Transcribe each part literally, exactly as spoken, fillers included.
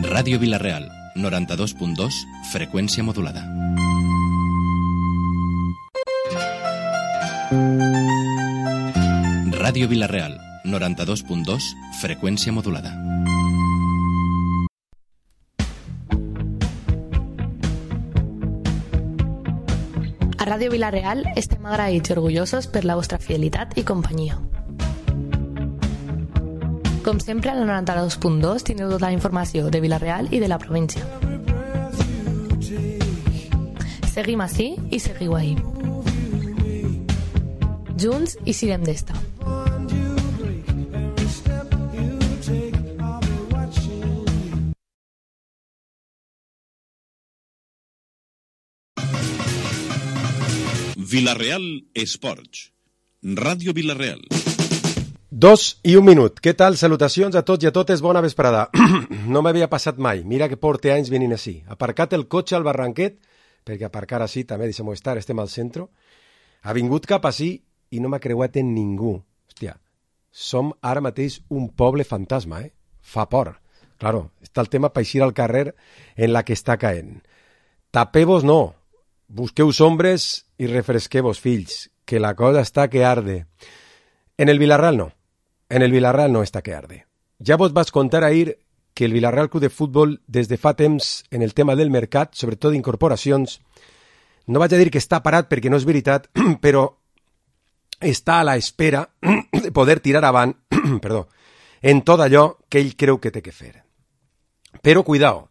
Ràdio Vila-real, noranta-dos punt dos, freqüència modulada. Ràdio Vila-real, noranta-dos punt dos, freqüència modulada. A Ràdio Vila-real estem agraïts i orgullosos per la vostra fidelitat i companyia. Com sempre, a la noranta-dos punt dos tindreu tota la informació de Vila-real i de la província. Seguim ací i seguiu ahí. Junts i sirem d'esta. Vila-real Esports. Ràdio Vila-real. Dos i un minut. Què tal? Salutacions a tots i a totes. Bona vesprada. No m'havia passat mai. Mira que porte anys venint així. Aparcat el cotxe al barranquet, perquè aparcar així també, deixem-ho estar, estem al centre. Ha vingut cap així i no m'ha creuat en ningú. Hòstia, som ara mateix un poble fantasma, eh? Fa por. Claro, està el tema per eixir al carrer en la que està caent. Tapeu-vos no. Busqueu ombres i refresqueu-vos, fills, que la cosa està que arde. En el Vila-real no. En el Vila-real no està que arde. Ja vos vas contar ahir que el Vila-real Club de Futbol, des de fa temps, en el tema del mercat, sobretot d'incorporacions, no vaig a dir que està parat perquè no és veritat, però està a la espera de poder tirar avant, perdó, en tot allò que ell creu que té que fer. Però, cuidao,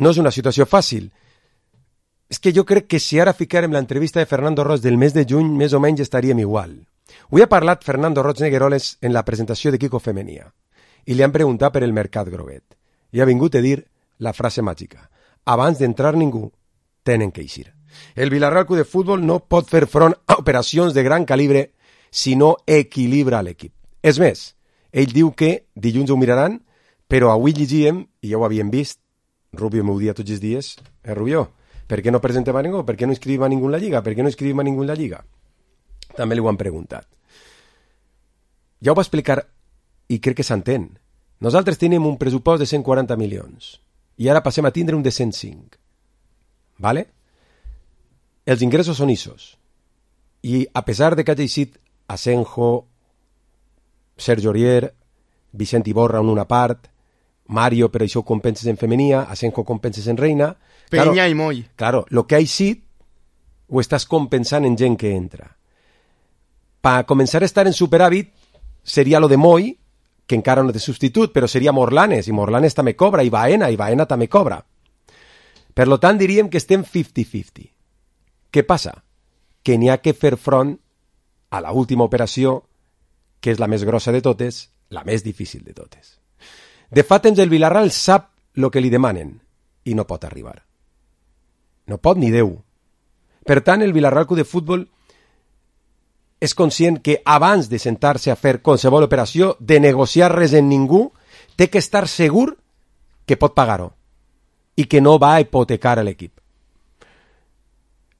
no és una situació fàcil. És que jo crec que si ara ficarem l'entrevista de Fernando Roig del mes de juny, més o menys estaríem igual. Avui ha parlat Fernando Roig Negueroles en la presentació de Kiko Femenia i li han preguntat per el mercat groguet. I ha vingut a dir la frase màgica. Abans d'entrar ningú, tenen que eixir. El Vila-real Club de Futbol no pot fer front a operacions de gran calibre si no equilibra l'equip. És més, ell diu que dilluns ho miraran, però avui llegíem, i ja ho havíem vist, Rubio m'ho dia tots els dies, eh, Rubio, per què no presentem a ningú? Per què no inscrivim a ningú en la Lliga? Per què no inscrivim a ningú en la Lliga? També li ho han preguntat. Ja ho va explicar i crec que s'entén. Nosaltres tenim un pressupost de cent quaranta milions i ara passem a tindre un de cent cinc. Vale? Els ingressos són issos. I a pesar de que hagi eixit Asenjo, Sergio Aurier, Vicent Iborra en una part, Mario, però això ho compenses en femenia, Asenjo compenses en reina... Peña claro, i Moll. Claro, lo que ha eixit ho estàs compensant en gent que entra. Per començar a estar en superàvit seria lo de Moll, que encara no té substitut, però seria Morlanes, i Morlanes també cobra, i Baena, i Baena també cobra. Per lo tant, diríem que estem cinquanta cinquanta. Què passa? Que n'hi ha que fer front a la última operació, que és la més grossa de totes, la més difícil de totes. De fa temps el Vila-real sap el que li demanen, i no pot arribar. No pot ni Déu. Per tant, el Vila-real Club de Futbol és conscient que abans de sentar-se a fer qualsevol operació, de negociar res en ningú, té que estar segur que pot pagar-ho i que no va a hipotecar a l'equip.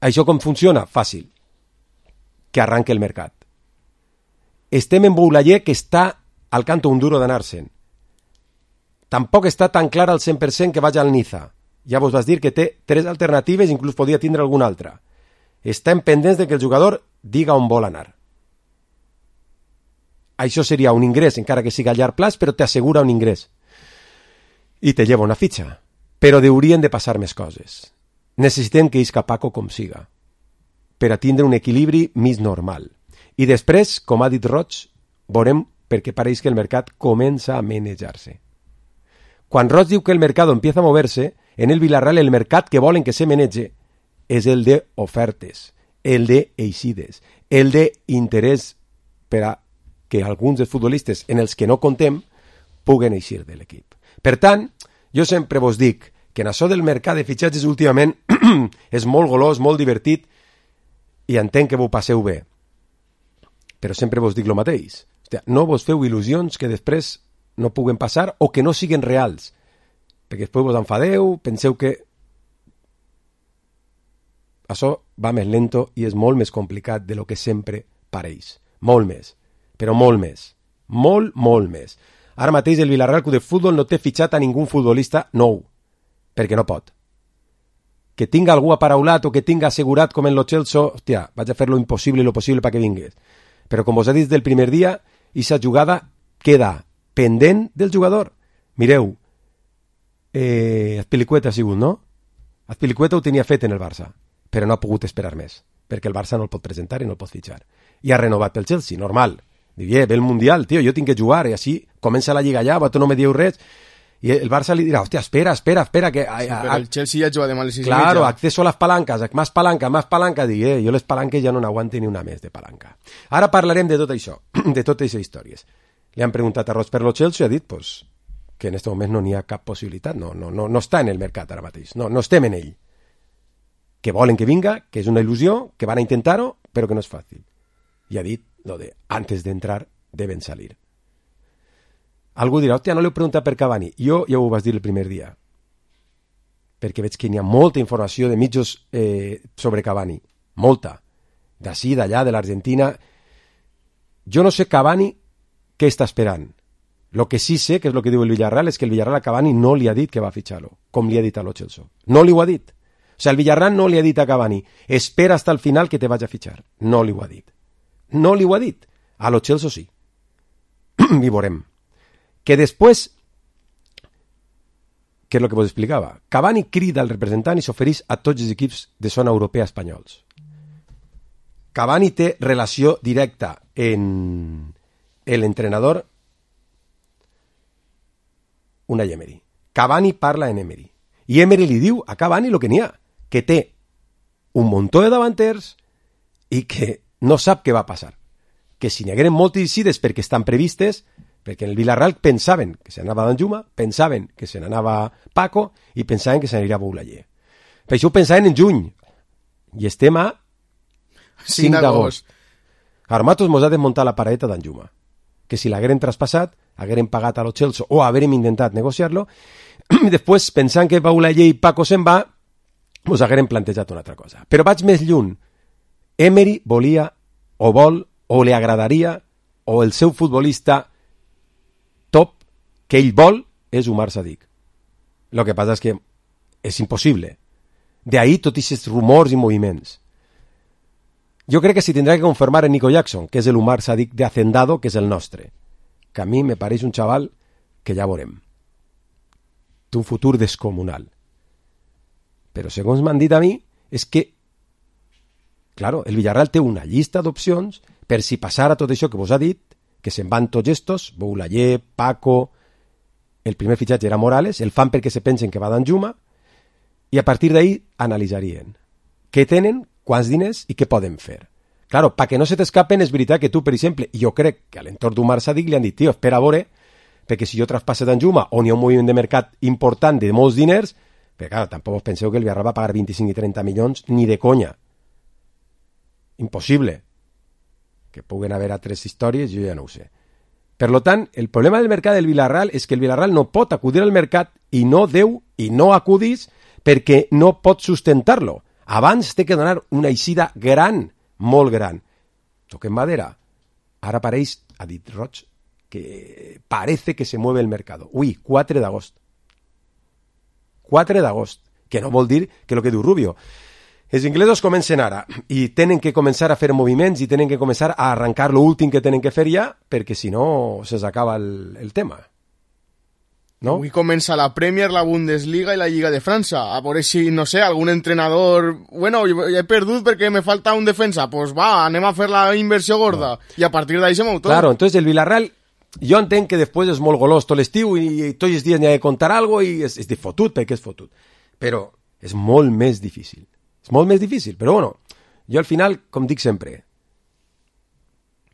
Això com funciona? Fàcil. Que arranque el mercat. Estem en Boulayer, que està al canto un duro d'anar-se'n. Tampoc està tan clar al cent per cent que vagi al Niza. Ja vos vas dir que té tres alternatives, inclús podria tindre alguna altra. Estem pendents de que el jugador diga on vol anar. Això seria un ingrés, encara que siga a llarg plaç, però t'assegura un ingrés. I te lleva una fitxa. Però haurien de passar més coses. Necessitem que isca Paco com siga, per a tindre un equilibri més normal. I després, com ha dit Roig, veurem perquè pareix que el mercat comença a manejar-se. Quan Roig diu que el mercat empieza a moverse, en el Vila-real el mercat que volen que se manege és el de ofertes, el de eixides, el de interès per a que alguns dels futbolistes en els que no contem puguen eixir de l'equip. Per tant, jo sempre vos dic que en això del mercat de fitxatges últimament és molt golós, molt divertit i entenc que vos passeu bé. Però sempre vos dic el mateix. Hòstia, no vos feu il·lusions que després no puguen passar o que no siguen reals. Perquè després vos enfadeu, penseu que això va més lento i és molt més complicat de lo que sempre pareix. Molt més, però molt més. Molt, molt més. Ara mateix el Villarreal Club de Futbol no té fitxat a ningú futbolista nou, perquè no pot. Que tinga algú aparaulat o que tinga assegurat com en lo Chelsea, hòstia, vaig a fer lo impossible i lo possible perquè vingués. Però com vos he dit del primer dia, aquesta jugada queda pendent del jugador. Mireu, eh, Azpilicueta ha sigut, no? Azpilicueta ho tenia fet en el Barça, però no ha pogut esperar més, perquè el Barça no el pot presentar i no el pot fitxar. I ha renovat pel Chelsea, normal. Diu, ve el Mundial, tio, jo tinc que jugar, i així comença la Lliga ja, tu no me dieu res, i el Barça li dirà, hòstia, espera, espera, espera, que... Sí, però el Chelsea ja juga de males i claro, mitja. Acceso a las palancas, más palanca, más palanca, dic, eh, jo les palanques ja no n'aguante ni una més de palanca. Ara parlarem de tot això, de totes aquestes històries. Li han preguntat a Roig per lo Chelsea i ha dit, pues, que en aquest moment no n'hi ha cap possibilitat, no, no, no, no està en el mercat ara mateix, no, no estem en ell. Que volen que vinga, que és una il·lusió, que van a intentar-ho, però que no és fàcil. I ha dit lo de, antes de entrar, deben salir. Algú dirà, hòstia, no l'heu preguntat per Cavani. Jo ja ho vas dir el primer dia, perquè veig que hi ha molta informació de mitjos eh, sobre Cavani, molta, d'ací, d'allà, de l'Argentina. Jo no sé Cavani què està esperant. Lo que sí sé, que és el que diu el Villarreal, és que el Villarreal a Cavani no li ha dit que va fitxar-lo, com li ha dit a lo Chelsea. No li ho ha dit. O sigui, el Villarreal no li ha dit a Cavani, espera hasta el final que te vaig a fitxar. No li ho ha dit. No li ho ha dit. A lo Chelsea sí. I veurem. Que després, que és el que vos explicava, Cavani crida al representant i s'ofereix a tots els equips de zona europea espanyols. Cavani té relació directa en l'entrenador Unai Emery. Cavani parla en Emery. I Emery li diu a Cavani el que n'hi ha, que té un muntó de davanters i que no sap què va passar. Que si n'hi hagueren moltes incides perquè estan previstes, perquè en el Villarreal pensaven que se n'anava Danjuma, pensaven que se n'anava Paco i pensaven que se n'aniria Boulaye. Per això ho pensaven en juny. I estem a cinc d'agost. Ara nosaltres mos ha de muntar la pareta d'Anjuma. Que si l'hagueren traspassat, hagueren pagat a lo Chelsea o hagueren intentat negociar-lo, i després, pensant que Boulaye i Paco se'n va, mos hagueren plantejat una altra cosa. Però vaig més lluny. Emery volia, o vol, o li agradaria, o el seu futbolista top que ell vol és Umar Sadik. Lo que passa és que és impossible. De ahí tots aquests rumors i moviments. Jo crec que si tindrà que confirmar en Nico Jackson, que és el Umar Sadik de Hacendado, que és el nostre. Que a mi me pareix un xaval que ja veurem. Té un futur descomunal. Però segons m'han dit a mi, és que, claro, el Villarreal té una llista d'opcions per si passara tot això que vos ha dit, que se'n van tots estos, Boulaye, Paco, el primer fitxatge era Morales, el fan perquè se pensen que va Danjuma, i a partir d'ahí analitzarien què tenen, quants diners i què poden fer. Claro, perquè no se t'escapen, és veritat que tu, per exemple, jo crec que a l'entorn d'Umar Sadik li han dit, tio, espera a veure, perquè si jo traspasse Danjuma, on hi ha un moviment de mercat important de molts diners, perquè clar, tampoc us penseu que el Villarreal va pagar vint-i-cinc i trenta milions ni de conya. Impossible. Que puguen haver altres històries, jo ja no ho sé. Per lo tant, el problema del mercat del Villarreal és que el Villarreal no pot acudir al mercat i no deu i no acudís perquè no pot sustentar-lo. Abans té que donar una eixida gran, molt gran. Toquem madera. Ara apareix, ha dit Roig, que parece que se mueve el mercado. Ui, quatre d'agost. quatre d'agost. Que no vol dir que el que diu Rubio. Els inglesos comencen ara i tenen que començar a fer moviments i tenen que començar a arrencar l'últim que tenen que fer ja, perquè si no se s'acaba el, el tema. No? Avui comença la Premier, la Bundesliga i la Lliga de França. A veure si, no sé, algun entrenador... Bueno, he perdut perquè me falta un defensa. Pues va, anem a fer la inversió gorda. No. I a partir d'ahí se mou tot. Claro, entonces el Villarreal... Jo entenc que després és molt golós tot l'estiu i, i tots els dies n'hi ha de contar algo i és, és de fotut perquè és fotut. Però és molt més difícil. És molt més difícil, però bueno, jo al final, com dic sempre,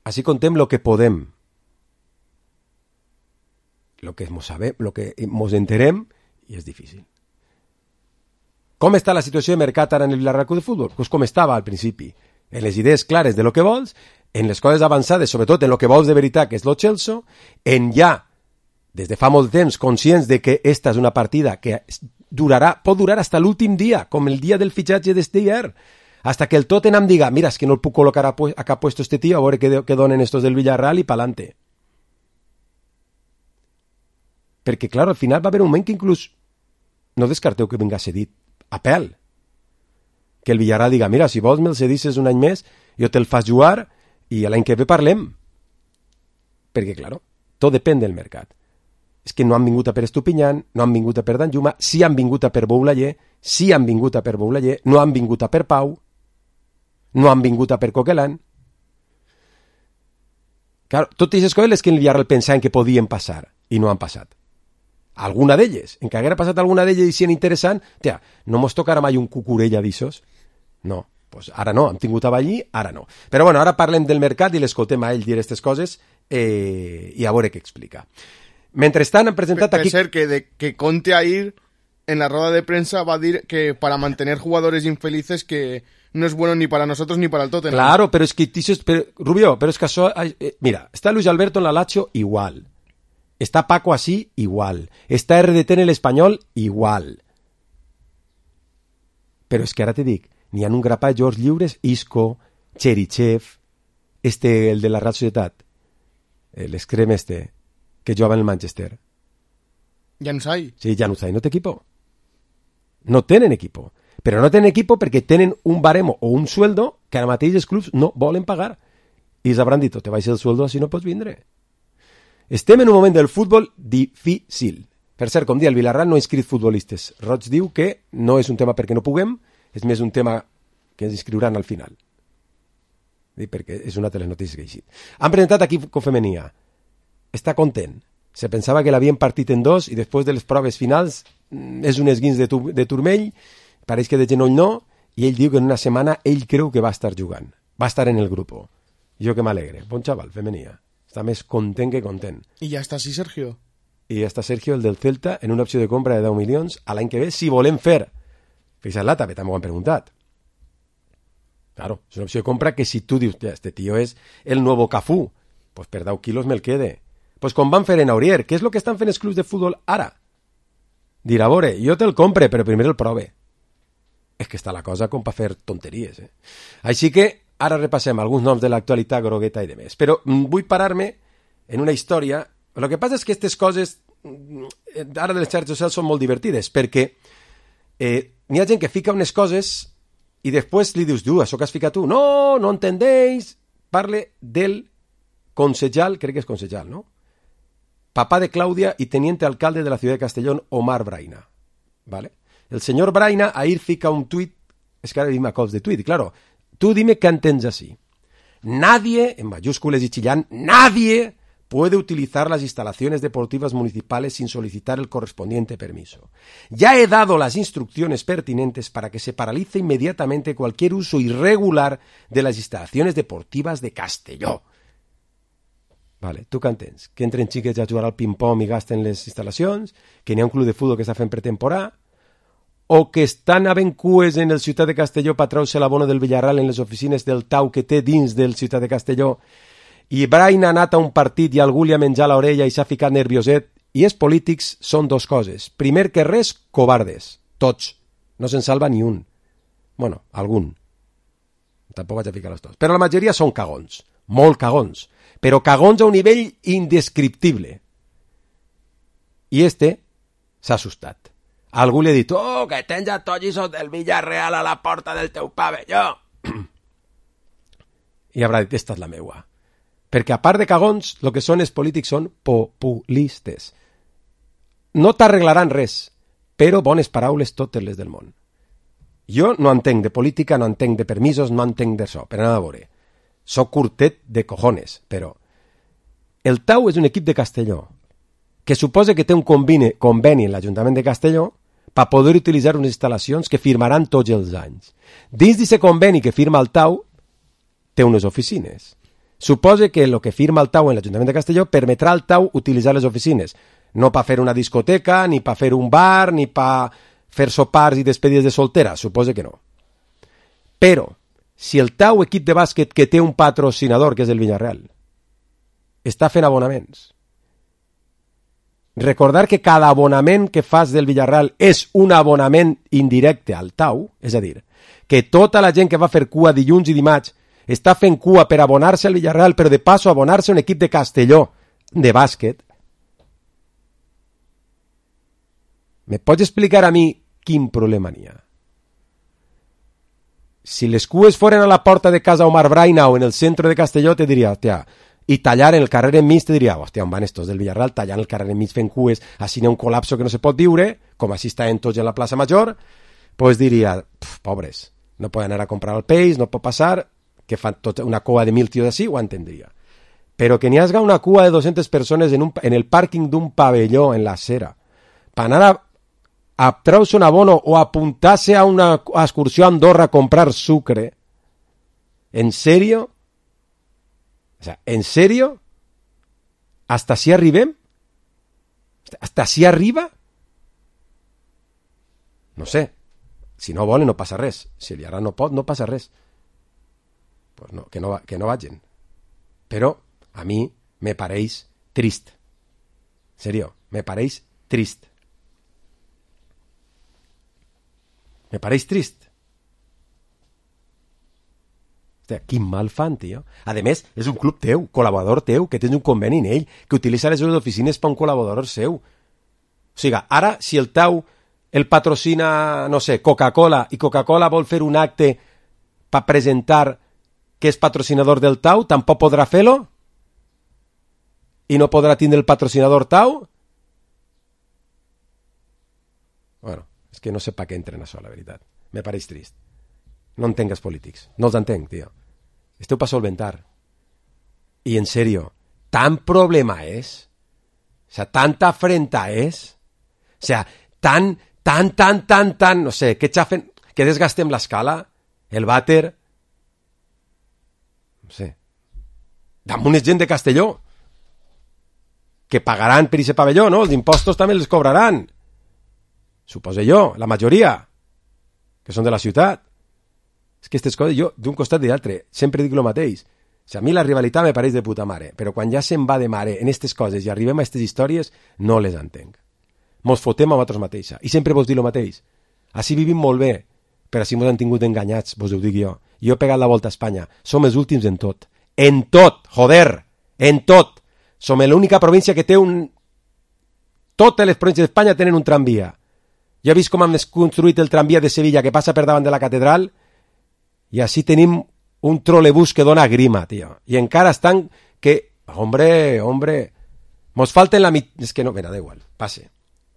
així contem lo que podem, lo que mos sabem, lo que mos enterem, i és difícil. Com està la situació de mercat ara en el Villarreal Club de Futbol? Pues com estava al principi, en les idees clares de lo que vols, en les coses avançades, sobretot en lo que vols de veritat, que és lo Chelsea, en ja, des de fa molt temps, conscients de que esta és una partida que durarà, pot durar hasta l'últim dia, com el dia del fitxatge d'Esteyer, hasta que el Tottenham diga, mira, es que no el puc col·locar a, a puesto este tío, a veure què, què donen estos del Villarreal i pa'lante. Perquè, clar, al final va haver un moment que inclús no descarteu que vinga cedit a pèl. Que el Villarreal diga, mira, si vols me'l cedisses un any més, jo te'l fas jugar i l'any que ve parlem. Perquè, clar, tot depèn del mercat. És que no han vingut a per Estupinyan, no han vingut a per Danjuma, sí han vingut a per Boulayer, sí han vingut a per Boulayer, no han vingut a per Pau, no han vingut a per Coquelin. Claro, totes aquestes coses les que el Villarreal pensaven que podien passar i no han passat. Alguna d'elles, en que haguera passat alguna d'elles i sien interessant, tia, no mos tocarà mai un cucurella d'issos? No, pues ara no, hem tingut a Ballí, ara no. Però bueno, ara parlem del mercat i l'escoltem a ell dir aquestes coses eh, i a veure què explica. Mentrestant han presentat per, aquí... Per ser que, de, que Conte ahir en la rueda de prensa va a decir que para mantener jugadores infelices que no es bueno ni para nosotros ni para el Tottenham. Claro, pero es que... Pero, Rubio, pero es que eso... Eh, mira, está Luis Alberto en la Lazio, igual. Está Paco así, igual. Está R D T en el Espanyol, igual. Però és que ara te dic, n'hi ha un grapà de George lliures, Isco, Cherichev, este, el de la Real Societat, l'escrem este, que jugava en el Manchester. Januzaj. Sí, Januzaj no té equipo. No tenen equipo. Però no tenen equipo perquè tenen un baremo o un sueldo que ara mateix els clubs no volen pagar. I els hauran dit, te baixes el sueldo, així no pots vindre. Estem en un moment del futbol difícil. Per cert, com dia, el Villarreal no ha inscrit futbolistes. Roig diu que no és un tema perquè no puguem, és més un tema que ens inscriuran al final. Perquè és una de les notícies que he llegit. Han presentat equip femenia. Està content. Se pensava que l'havien partit en dos i després de les proves finals és un esguins de, tu, de turmell, pareix que de genoll no, i ell diu que en una setmana ell creu que va estar jugant. Va estar en el grup. Jo que m'alegre. Bon xaval, femenia. Està més content que content. I ja està així, Sergio. I ja està Sergio, el del Celta, en una opció de compra de deu milions a l'any que ve, si volem fer. Fixa't-la, també també ho han preguntat. Claro, és una opció de compra que si tu dius, ja, este tío és el nuevo Cafú, pues per deu quilos me'l quede. Pues com van fer en Aurier, què és el que estan fent els clubs de futbol ara? Dirà, a veure, jo te'l compre, però primer el prove. És que està la cosa com per fer tonteries, eh? Així que ara repassem alguns noms de l'actualitat grogueta i de més. Però vull parar-me en una història. El que passa és que aquestes coses ara de les xarxes socials són molt divertides, perquè eh, n'hi ha gent que fica unes coses i després li dius, tu, això que has ficat tu, no, no entendéis. Parle del concejal, crec que és concejal, no? Papá de Claudia y teniente alcalde de la ciudad de Castellón, Omar Braina. ¿Vale? El señor Braina ahí fica un tuit, es que ahora dime a cops de tuit, y claro, tú dime qué entens así. Nadie, en mayúsculas y chillán, nadie puede utilizar las instalaciones deportivas municipales sin solicitar el correspondiente permiso. Ya he dado las instrucciones pertinentes para que se paralice inmediatamente cualquier uso irregular de las instalaciones deportivas de Castelló. Vale, tu què entens? Que entren xiquets a jugar al ping-pong i gasten les instal·lacions? Que n'hi ha un club de futbol que està fent pretemporada? O que estan havent cues en el Ciutat de Castelló per treure l'abono del Villarreal en les oficines del Tau que té dins del Ciutat de Castelló i Brain ha anat a un partit i algú li ha menjat l'orella i s'ha ficat nervioset? I els polítics són dos coses. Primer que res, covardes. Tots. No se'n salva ni un. Bueno, algun. Tampoc vaig a ficar els tots. Però la majoria són cagons. Molt cagons. Però cagons a un nivell indescriptible. I este s'ha assustat. Algú li ha dit, oh, que tens a tollisos del Villarreal a la porta del teu pavelló. I haurà dit, esta és la meua. Perquè a part de cagons, el que són els polítics són populistes. No t'arreglaran res, però bones paraules totes les del món. Jo no entenc de política, no entenc de permisos, no entenc d'això, per anar a veure. Soc curtet de cojones, però el Tau és un equip de Castelló que suposa que té un conveni, conveni en l'Ajuntament de Castelló per poder utilitzar unes instal·lacions que firmaran tots els anys. Dins d'aquest conveni que firma el Tau té unes oficines. Suposa que el que firma el Tau en l'Ajuntament de Castelló permetrà al Tau utilitzar les oficines, no per fer una discoteca, ni per fer un bar, ni per fer sopars i despedides de soltera, suposa que no. Però si el Tau, equip de bàsquet que té un patrocinador, que és el Villarreal, està fent abonaments, recordar que cada abonament que fas del Villarreal és un abonament indirecte al Tau, és a dir, que tota la gent que va fer cua dilluns i dimarts està fent cua per abonar-se al Villarreal, però de passo abonar-se a un equip de Castelló de bàsquet, me pots explicar a mi quin problema n'hi ha? Si les cues foren a la porta de casa Omar Braina o en el centre de Castelló, te diria, hòstia, i tallar en el carrer enmig, te diria, hòstia, on van estos del Villarreal tallant el carrer enmig fent cues, així n'hi ha un col·lapso que no se pot viure, com així estaven tots en la plaça Major, pues diria, pobres, no poden anar a comprar el peix, no pot passar, que fan tot una cua de mil tios així, ho entendria. Però que n'hi hagi una cua de dues-centes persones en, un, en el pàrquing d'un pavelló en la acera, per anar a a treure-se un abono o apuntar-se a una excursió a Andorra a comprar sucre, ¿en serio? O sea, ¿en serio? ¿Hasta así arribem? ¿Hasta así arriba? No sé. Si no volen, no passa res. Si el ara no pot, no passa res. Pues no, que no, que no vagin. Però a mi me pareix trist. En serio, me pareix trist. Me pareix trist. Hòstia, quin mal fan, tio. A més, és un club teu, col·laborador teu, que tens un conveni en ell, que utilitza les seves oficines per un col·laborador seu. O sigui, ara, si el tau el patrocina, no sé, Coca-Cola, i Coca-Cola vol fer un acte per presentar que és patrocinador del tau, tampoc podrà fer-lo? I no podrà tindre el patrocinador tau? Bueno, és que no sé per què entren això, la veritat. Me pareix trist. No entenc els polítics. No els entenc, tio. Esteu per solventar. I en serio, tan problema és? O sea, tanta afrenta és? O sea, tan, tan, tan, tan, tan, no sé, que xafen, que desgastem l'escala, el vàter, no sé, damunt és gent de Castelló, que pagaran per aquest pavelló, no? Els impostos també els cobraran. Suposo jo, la majoria, que són de la ciutat. És que aquestes coses, jo, d'un costat i d'altre, sempre dic el mateix. O sigui, a mi la rivalitat me pareix de puta mare, però quan ja se'n va de mare en aquestes coses i arribem a aquestes històries, no les entenc. Mos fotem a vosaltres mateixa. I sempre vos dic el mateix. Així vivim molt bé, però així mos han tingut enganyats, vos ho dic jo. Jo he pegat la volta a Espanya. Som els últims en tot. En tot, joder! En tot! Som l'única província que té un... Totes les províncies d'Espanya tenen un tramvia. Jo he vist com han construït el tramvia de Sevilla que passa per davant de la catedral i així tenim un trolebús que dona grima, tio. I encara estan que... Hombre, hombre... Mos falten la mit... És que no... Mira, da igual. Passe.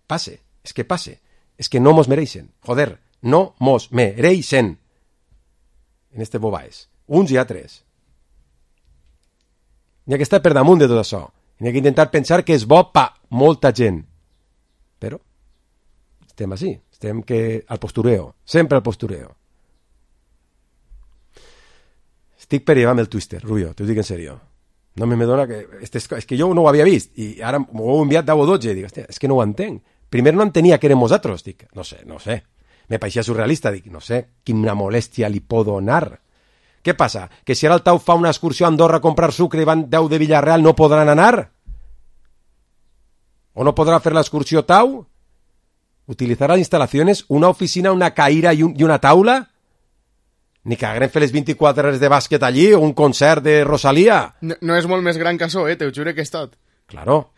Passe. És que passe. És que no mos mereixen. Joder, no mos mereixen. En este bobaes. Uns i altres. N'hi ha que estar per damunt de tot això. N'hi ha que intentar pensar que és bo pa molta gent. Però... estem així, estem que al postureo, sempre al postureo. Estic per llevar-me el Twister, Rubio, t'ho dic en serio. No me dona que... És que jo no ho havia vist, i ara m'ho heu enviat deu o dotze, i dic, hòstia, és que no ho entenc. Primer no entenia que érem nosaltres, dic, no sé, no sé. Me pareixia surrealista, dic, no sé, quina molèstia li pot donar. Què passa? Que si ara el Tau fa una excursió a Andorra a comprar sucre i van deu de Villarreal, no podran anar? O no podrà fer l'excursió Tau? Utilizar las instalaciones, una oficina, una caïra y, un, y una taula? Ni que haguem fet les vint-i-quatre hores de bàsquet allí o un concert de Rosalía. No, no és molt més gran que això, eh? T'ho jure que he estat. Claro.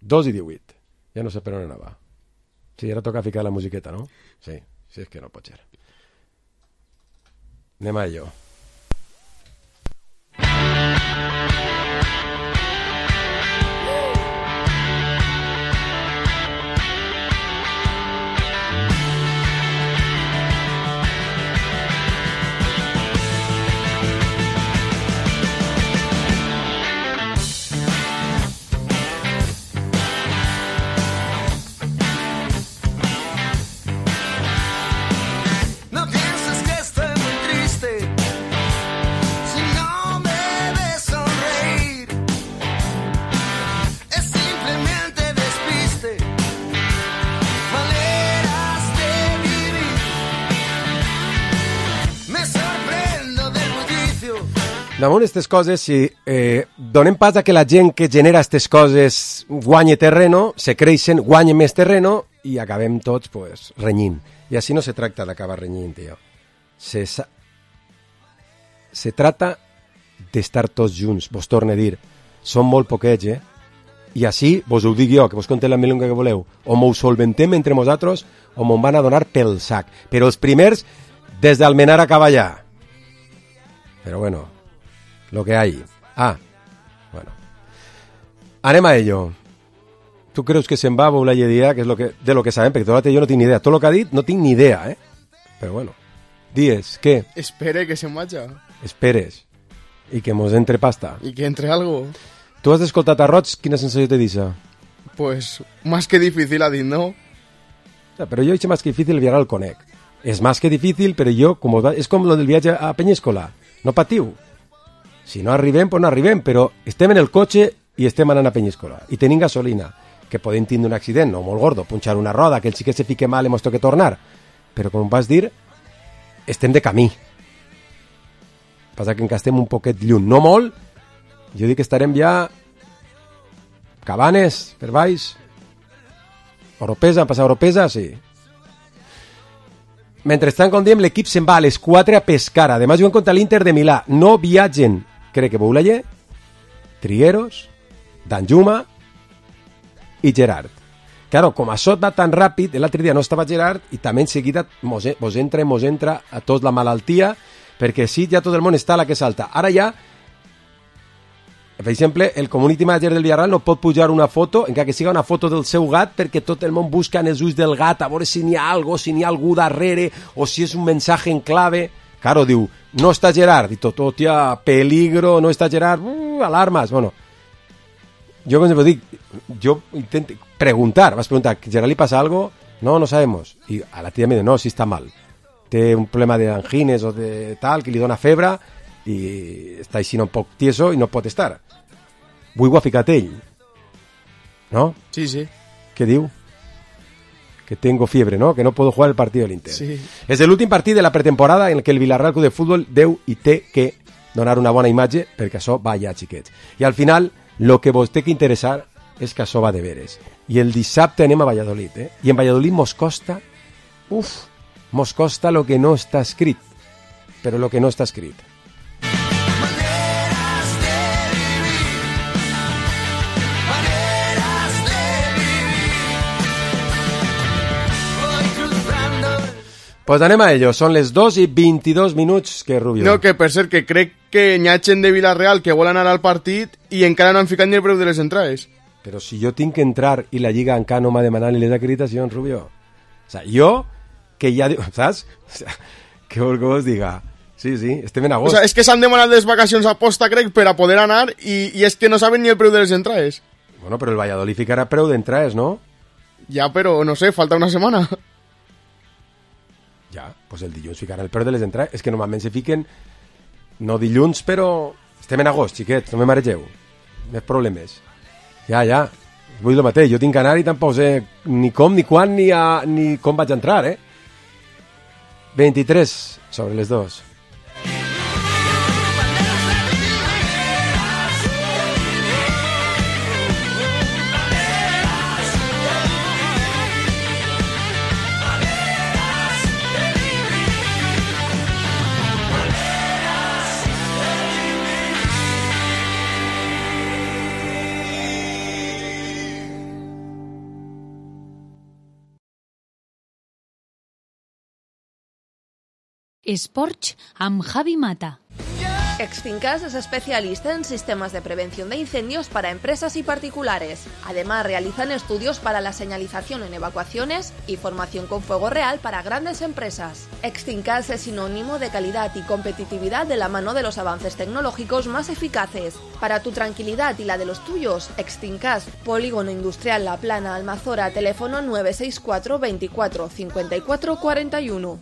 Dos i divuit. Ja no sé per on anava. Sí, ara toca ficar la musiqueta, no? Sí, sí, és que no pot ser. Anem a ello. Damunt aquestes coses, si eh, donem pas a que la gent que genera aquestes coses guanye terreno, se creixen, guanye més terreno i acabem tots pues, renyint. I així no se tracta d'acabar renyint, tio. Se, se trata d'estar tots junts. Vos torno a dir, som molt poquets, eh? I així, vos ho dic jo, que vos conté la milonga que voleu, o m'ho solventem entre nosaltres o m'ho van a donar pel sac. Però els primers, des d'Almenar a Cavallà. Però bueno, lo que hay. Ah, bueno. Anem a ello. Tu creus que se'n va a Boulaye Dia, que és lo que, de lo que sabem, perquè tot jo no tinc ni idea. Tot lo que ha dit no tinc ni idea, eh? Però bueno. Dies, què? Espere que se'n vaja. Esperes. I que mos entre pasta. I que entre algo. Tu has escoltat a Roig, quina sensació te deixa? Pues, más que difícil ha dit, no? O sea, però jo he más que difícil el viajar al conec. És más que difícil, però jo, com va, és com lo del viatge a Penyíscola. No patiu. Si no arribem, pues no arribem, però estem en el cotxe i estem anant a Penyíscola. I tenim gasolina, que podem tindre un accident, no molt gordo, punxar una roda, que el xiquet se fique mal i mos toque tornar. Però, com vas dir, estem de camí. Passa que encara estem un poquet lluny. No molt, jo dic que estarem ja Cabanes, per baix, Oropesa, han passat Oropesa, sí. Mentrestant, com diem, l'equip se'n va a les quatre a pescar. Además, juguen contra l'Inter de Milà. No viatgen, crec que Boulaye, Trigueros, Danjuma i Gerard. Claro, com això va tan ràpid, l'altre dia no estava Gerard i també en seguida mos, mos entra mos entra a tots la malaltia, perquè sí, ja tot el món està a la que salta. Ara ja, per exemple, el community manager del Villarreal no pot pujar una foto, encara que siga una foto del seu gat, perquè tot el món busca en els ulls del gat a veure si n'hi ha algo, si n'hi ha algú darrere, o si és un mensatge en clave. Claro, diu, no està Gerard, i tot, hòstia, peligro, no està Gerard, uh, alarmes, bueno. Jo, com dic, jo intento preguntar, vas preguntar, ¿Gerard li pasa algo? No, no sabemos. I a la tia me diu, no, si està mal. Té un problema de angines o de tal, que li dona febre, i està així un poc tieso i no pot estar. Avui ho ha ficat ell. ¿No? Sí, sí. ¿Qué diu? Que tengo fiebre, ¿no? Que no puedo jugar el partido del Inter. Sí. És l'últim partit de la pretemporada en el que el Villarreal Club de Futbol deu i té que donar una bona imatge perquè això va ja, xiquets. I al final, el que vos té que interessar és que això va de veres. I el dissabte anem a Valladolid, eh? I en Valladolid mos costa, uf, mos costa lo que no està escrit. Però lo que no està escrit. Pues anem a ello, són les dos i vint-i-dos minuts, que Rubio. No, que per cert, que crec que n'hi ha gent de Villarreal que vol anar al partit i encara no han ficat ni el preu de les entrades. Però si jo tinc que entrar i la Lliga encara no m'ha demanat ni les acreditacions, Rubio. O sea, jo, que ja... Saps? O sea, què vol que vos diga? Sí, sí, estem en agost. O sea, és que s'han demanat les vacacions a posta, crec, per a poder anar i, i és que no saben ni el preu de les entrades. Bueno, però el Valladolid ficarà preu d'entrades, no? Ja, però, no sé, falta una setmana. Ja, pues el dilluns ficaran el preu de les entrades. És que normalment se fiquen, no dilluns, però estem en agost, xiquets, no me maregeu. Més problemes. Ja, ja, vull el mateix. Jo tinc que anar i tampoc sé ni com, ni quan, ni, a, ni com vaig entrar, eh? vint-i-tres sobre les dos. Esports amb Javi Mata. Exfincas es especialista en sistemas de prevención de incendios para empresas y particulares. Además, realizan estudios para la señalización en evacuaciones y formación con fuego real para grandes empresas. Exfincas es sinónimo de calidad y competitividad de la mano de los avances tecnológicos más eficaces. Para tu tranquilidad y la de los tuyos, Exfincas, Polígono Industrial La Plana, Almazora, teléfono nueve seis cuatro veinticuatro cincuenta y cuatro cuarenta y uno.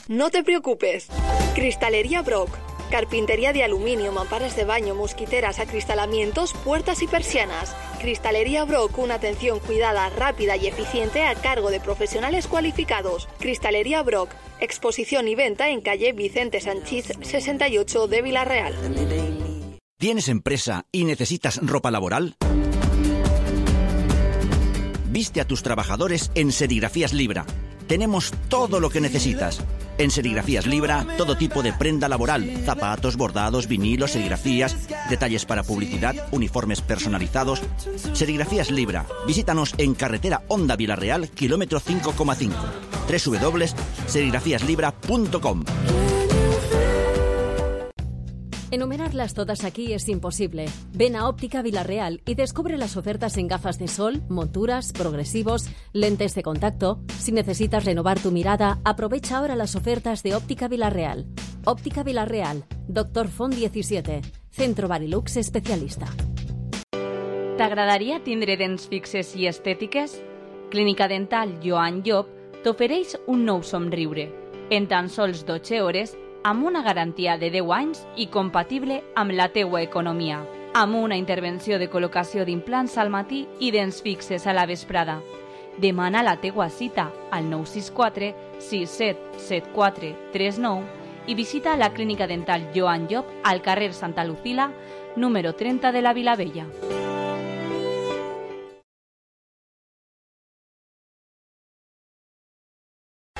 No te preocupes. Cristalería Brock. Carpintería de aluminio, mamparas de baño, mosquiteras, acristalamientos, puertas y persianas. Cristalería Brock, una atención cuidada, rápida y eficiente a cargo de profesionales cualificados. Cristalería Brock. Exposición y venta en calle Vicente Sanchís sesenta y ocho de Villarreal. ¿Tienes empresa y necesitas ropa laboral? Viste a tus trabajadores en Serigrafías Libra. Tenemos todo lo que necesitas. En Serigrafías Libra, todo tipo de prenda laboral, zapatos, bordados, vinilos, serigrafías, detalles para publicidad, uniformes personalizados. Serigrafías Libra, visítanos en carretera Honda Vilarreal, kilómetro cinco coma cinco. doble u doble u doble u punto serigrafías libra punto com. Enumerarlas todas aquí es imposible. Ven a Óptica Vilarreal y descubre las ofertas en gafas de sol, monturas, progresivos, lentes de contacto. Si necesitas renovar tu mirada, aprovecha ahora las ofertas de Óptica Vilarreal. Óptica Vilarreal, Doctor Font disset, Centro Barilux especialista. T'agradaria tindre dents fixes i estètiques? Clínica Dental Joan Llop t'ofereix un nou somriure. En tan sols dotze hores, amb una garantia de deu anys i compatible amb la teua economia. Amb una intervenció de col·locació d'implants al matí i dents fixes a la vesprada. Demana la teua cita al nou sis quatre sis set set quatre tres nou i visita la Clínica Dental Joan Llop al carrer Santa Lucila, número trenta de la Vilavella.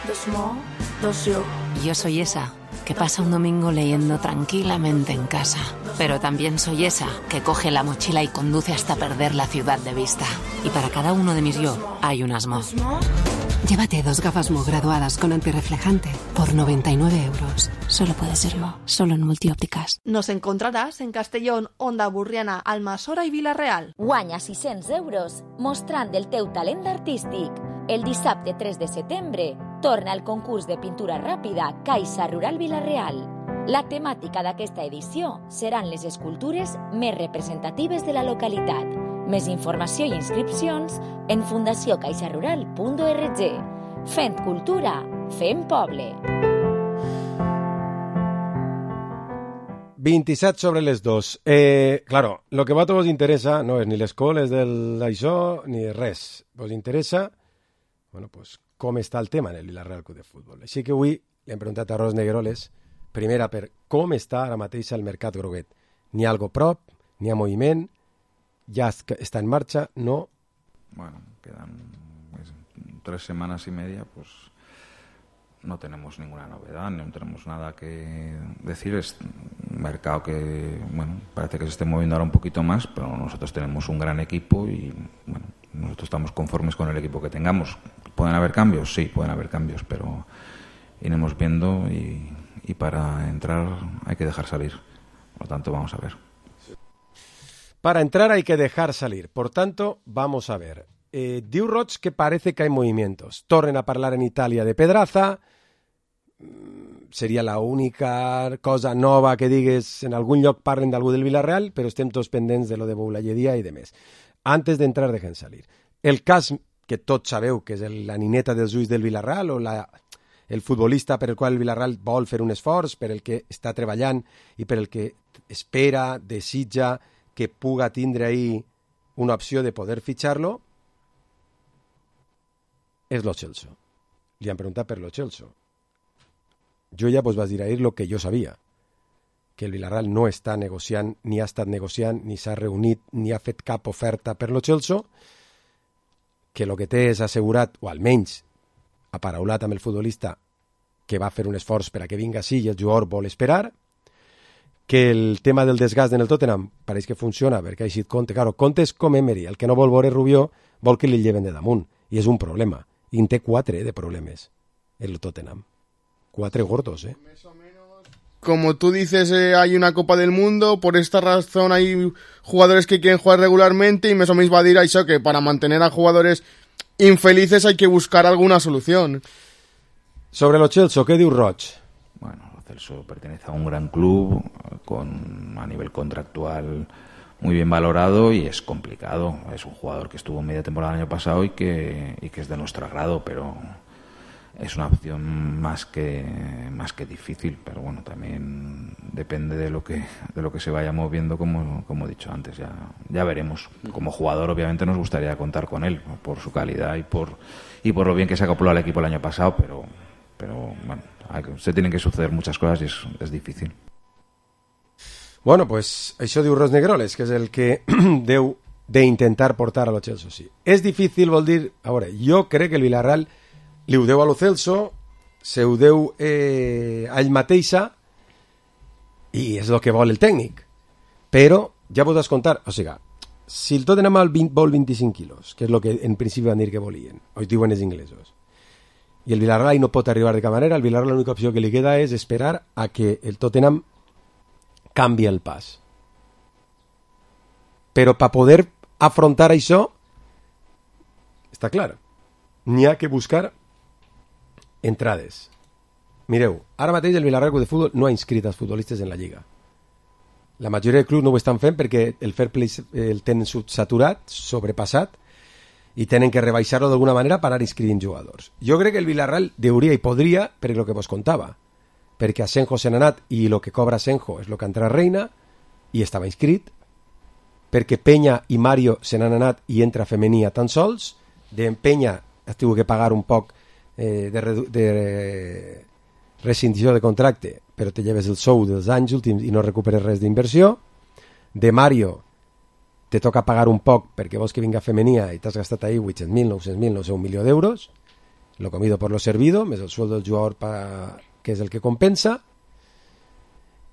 Dos mo, dos yo. Yo soy esa que pasa un domingo leyendo tranquilamente en casa. Pero también soy esa que coge la mochila y conduce hasta perder la ciudad de vista. Y para cada uno de mis yo hay unas Mo. Llévate dos gafas Mo graduadas con antirreflejante por noventa y nueve euros. Solo puede ser Mo, solo en Multiópticas. Nos encontrarás en Castellón, Onda Burriana, Almassora i Vila-real. Guanya sis-cents euros mostrant el teu talent artístic. El dissabte tres de setembre torna el concurs de pintura ràpida Caixa Rural Vila-real. La temàtica d'aquesta edició seran les escultures més representatives de la localitat. Més informació i inscripcions en fundació caixa rural punt org. Fent cultura, fent poble. veintisiete sobre les dos. Eh, claro, lo que a vosotros os interesa no es ni les coles del això ni res. Vos interesa, bueno, pues, com està el tema en el Vila-real Club de Futbol. Així que avui li hem preguntat a Ros Negueroles, primera, per com està ara mateix el mercat groguet. N'hi ha algo prop, n'hi ha moviment, ja està en marxa, no? Bueno, quedan tres semanas y media, pues no tenemos ninguna novedad, no tenemos nada que decir. Es un mercado que, bueno, parece que se esté moviendo ahora un poquito más, pero nosotros tenemos un gran equipo y, bueno, nosotros estamos conformes con el equipo que tengamos. ¿Pueden haber cambios? Sí, pueden haber cambios, pero iremos viendo y, y para entrar hay que dejar salir. Por lo tanto, vamos a ver. Para entrar hay que dejar salir. Por tanto, vamos a ver. Eh, diu Roig que parece que hay movimientos. Tornen a parlar en Italia de Pedraza. Seria la única cosa nova que digues. En algun lloc parlen d'algú del Vila-real, però estem tots pendents de lo de Boulayedia i de més. Antes d'entrar, dejen salir. El cas que tots sabeu que és el, la nineta dels ulls del Vila-real o la, el futbolista per el qual el Vila-real vol fer un esforç, per el que està treballant i per el que espera, desitja que puga tindre ahí una opció de poder fitxar-lo, és Lo Celso. Li han preguntat per Lo Celso. Jo ja vos vaig dir ahir el que jo sabia, que el Vila-real no està negociant, ni ha estat negociant, ni s'ha reunit, ni ha fet cap oferta per Lo Celso, que el que té és assegurat, o almenys aparaulat amb el futbolista, que va fer un esforç per a que vinga així i el jugador vol esperar, que el tema del desgast en el Tottenham pareix que funciona perquè ha eixit Conte. Claro, Conte és com Emery, el que no vol veure Rubió vol que li lleven de damunt, i és un problema. I en té quatre de problemes, el Tottenham. Cuatro gordos, ¿eh? Como tú dices, eh, hay una Copa del Mundo, por esta razón hay jugadores que quieren jugar regularmente y més o menys va dir això, que para mantener a jugadores infelices hay que buscar alguna solución. Sobre Lo Celso, ¿qué diu Roig? Bueno, Lo Celso pertenece a un gran club con a nivel contractual muy bien valorado y es complicado. Es un jugador que estuvo media temporada el año pasado y que, y que es de nuestro agrado, pero es una opción más que más que difícil, pero bueno, también depende de lo que de lo que se vaya moviendo, como como he dicho antes, ya ya veremos. Como jugador obviamente nos gustaría contar con él por su calidad y por y por lo bien que se acopló al equipo el año pasado, pero pero bueno, hay que, se tienen que suceder muchas cosas y es es difícil. Bueno, pues això diu Ros Negueroles, que és el que deu d'intentar portar a Lo Celso, sí. És difícil, vol dir... A veure, jo crec que el Villarreal li ho deu a Lo Celso se ho deu eh, a ell mateixa i és el que vol el tècnic. Però ja pots descomptar, o sigui, si el Tottenham vol vint-i-cinc quilos, que és el que en principi van dir que volien, o diuen els inglesos, i el Villarreal no pot arribar de cap manera, el Villarreal l'única opció que li queda és esperar a que el Tottenham canvi el pas. Però per poder afrontar això, està clar, n'hi ha que buscar entrades. Mireu, ara mateix el Villarreal de Futbol no ha inscrit els futbolistes en la Lliga. La majoria de clubs no ho estan fent perquè el fair play el tenen saturat, sobrepassat, i tenen que rebaixar-lo d'alguna manera per anar inscrivint jugadors. Jo crec que el Villarreal deuria i podria, per el que vos contava, perquè Asenjo se n'ha anat i el que cobra Asenjo és el que entra Reina, i estava inscrit, perquè Peña i Mario se n'han anat i entra Femenia tan sols, de Peña has tingut que pagar un poc eh, de, de rescindició de contracte, però te lleves el sou dels anys últims i no recuperes res d'inversió. De Mario te toca pagar un poc perquè vols que vinga Femenia i t'has gastat ahí vuit-cents mil, nou-cents mil, no sé, un milió d'euros, lo comido por lo servido, més el sueldo del jugador pa, que és el que compensa.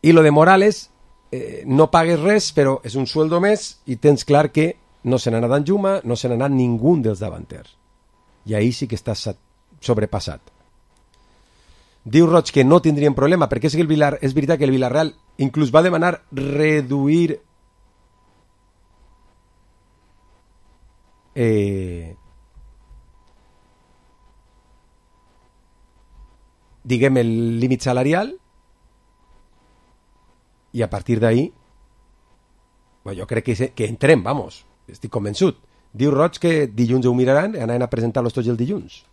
I lo de Morales, eh, no pagues res, però és un sueldo més i tens clar que no se n'ha anat Danjuma, no se n'ha anat ningú dels davanters. I ahí sí que estàs sobrepassat. Diu Roig que no tindrien problema, perquè és, que el Villar, és veritat que el Villarreal inclús va demanar reduir eh, diguem el límit salarial i a partir d'ahí bueno, jo crec que, que entrem, vamos, estic convençut. Diu Roig que dilluns ho miraran, anaven a presentar-los tots el dilluns.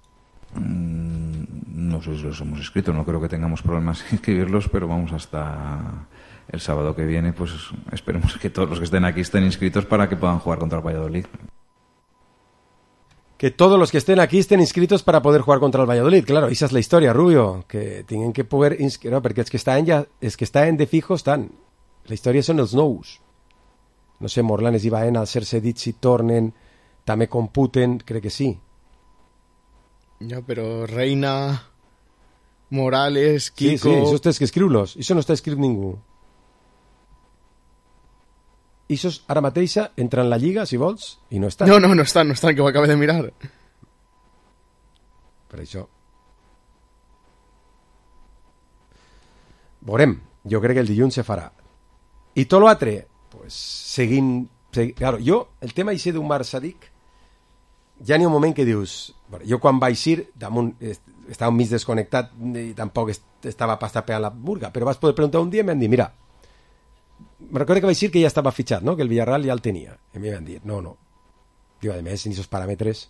Mm, no sé si los hemos escrito, no creo que tengamos problemas en escribirlos, pero vamos hasta el sábado que viene, pues esperemos que todos los que estén aquí estén inscritos para que puedan jugar contra el Valladolid. Que todos los que estén aquí estén inscritos para poder jugar contra el Valladolid, claro, esa es la historia, Rubio, que tienen que poder inscribir, no, perquè els que estan ja, els que estan de fijo estan. La història són els nous. No sé, Morlanes i Baena, al ser cedits si tornen, també computen, crec que sí. Ja, però Reina, Morales, Kiko... Sí, sí, això tens que escriure-los. Això no està escrit ningú. Això ara mateixa entra en la Lliga, si vols, i no estan. No, no, no estan, no estan, que ho acabo de mirar. Per això. Veurem. Jo crec que el dilluns se farà. I tot l'altre, pues, seguint... Segui... Claro, jo, el tema així d'un Marc Sadic, ja n'hi ha un moment que dius... Bueno, jo quan vaig ir, damunt, estava mig desconnectat i tampoc estava pas tapeant la burga, però vas poder preguntar un dia i m'han dit, mira, me recordo que vaig dir que ja estava fitxat, no? Que el Villarreal ja el tenia. I mi van dir, no, no. Diu, a més, en aquests paràmetres,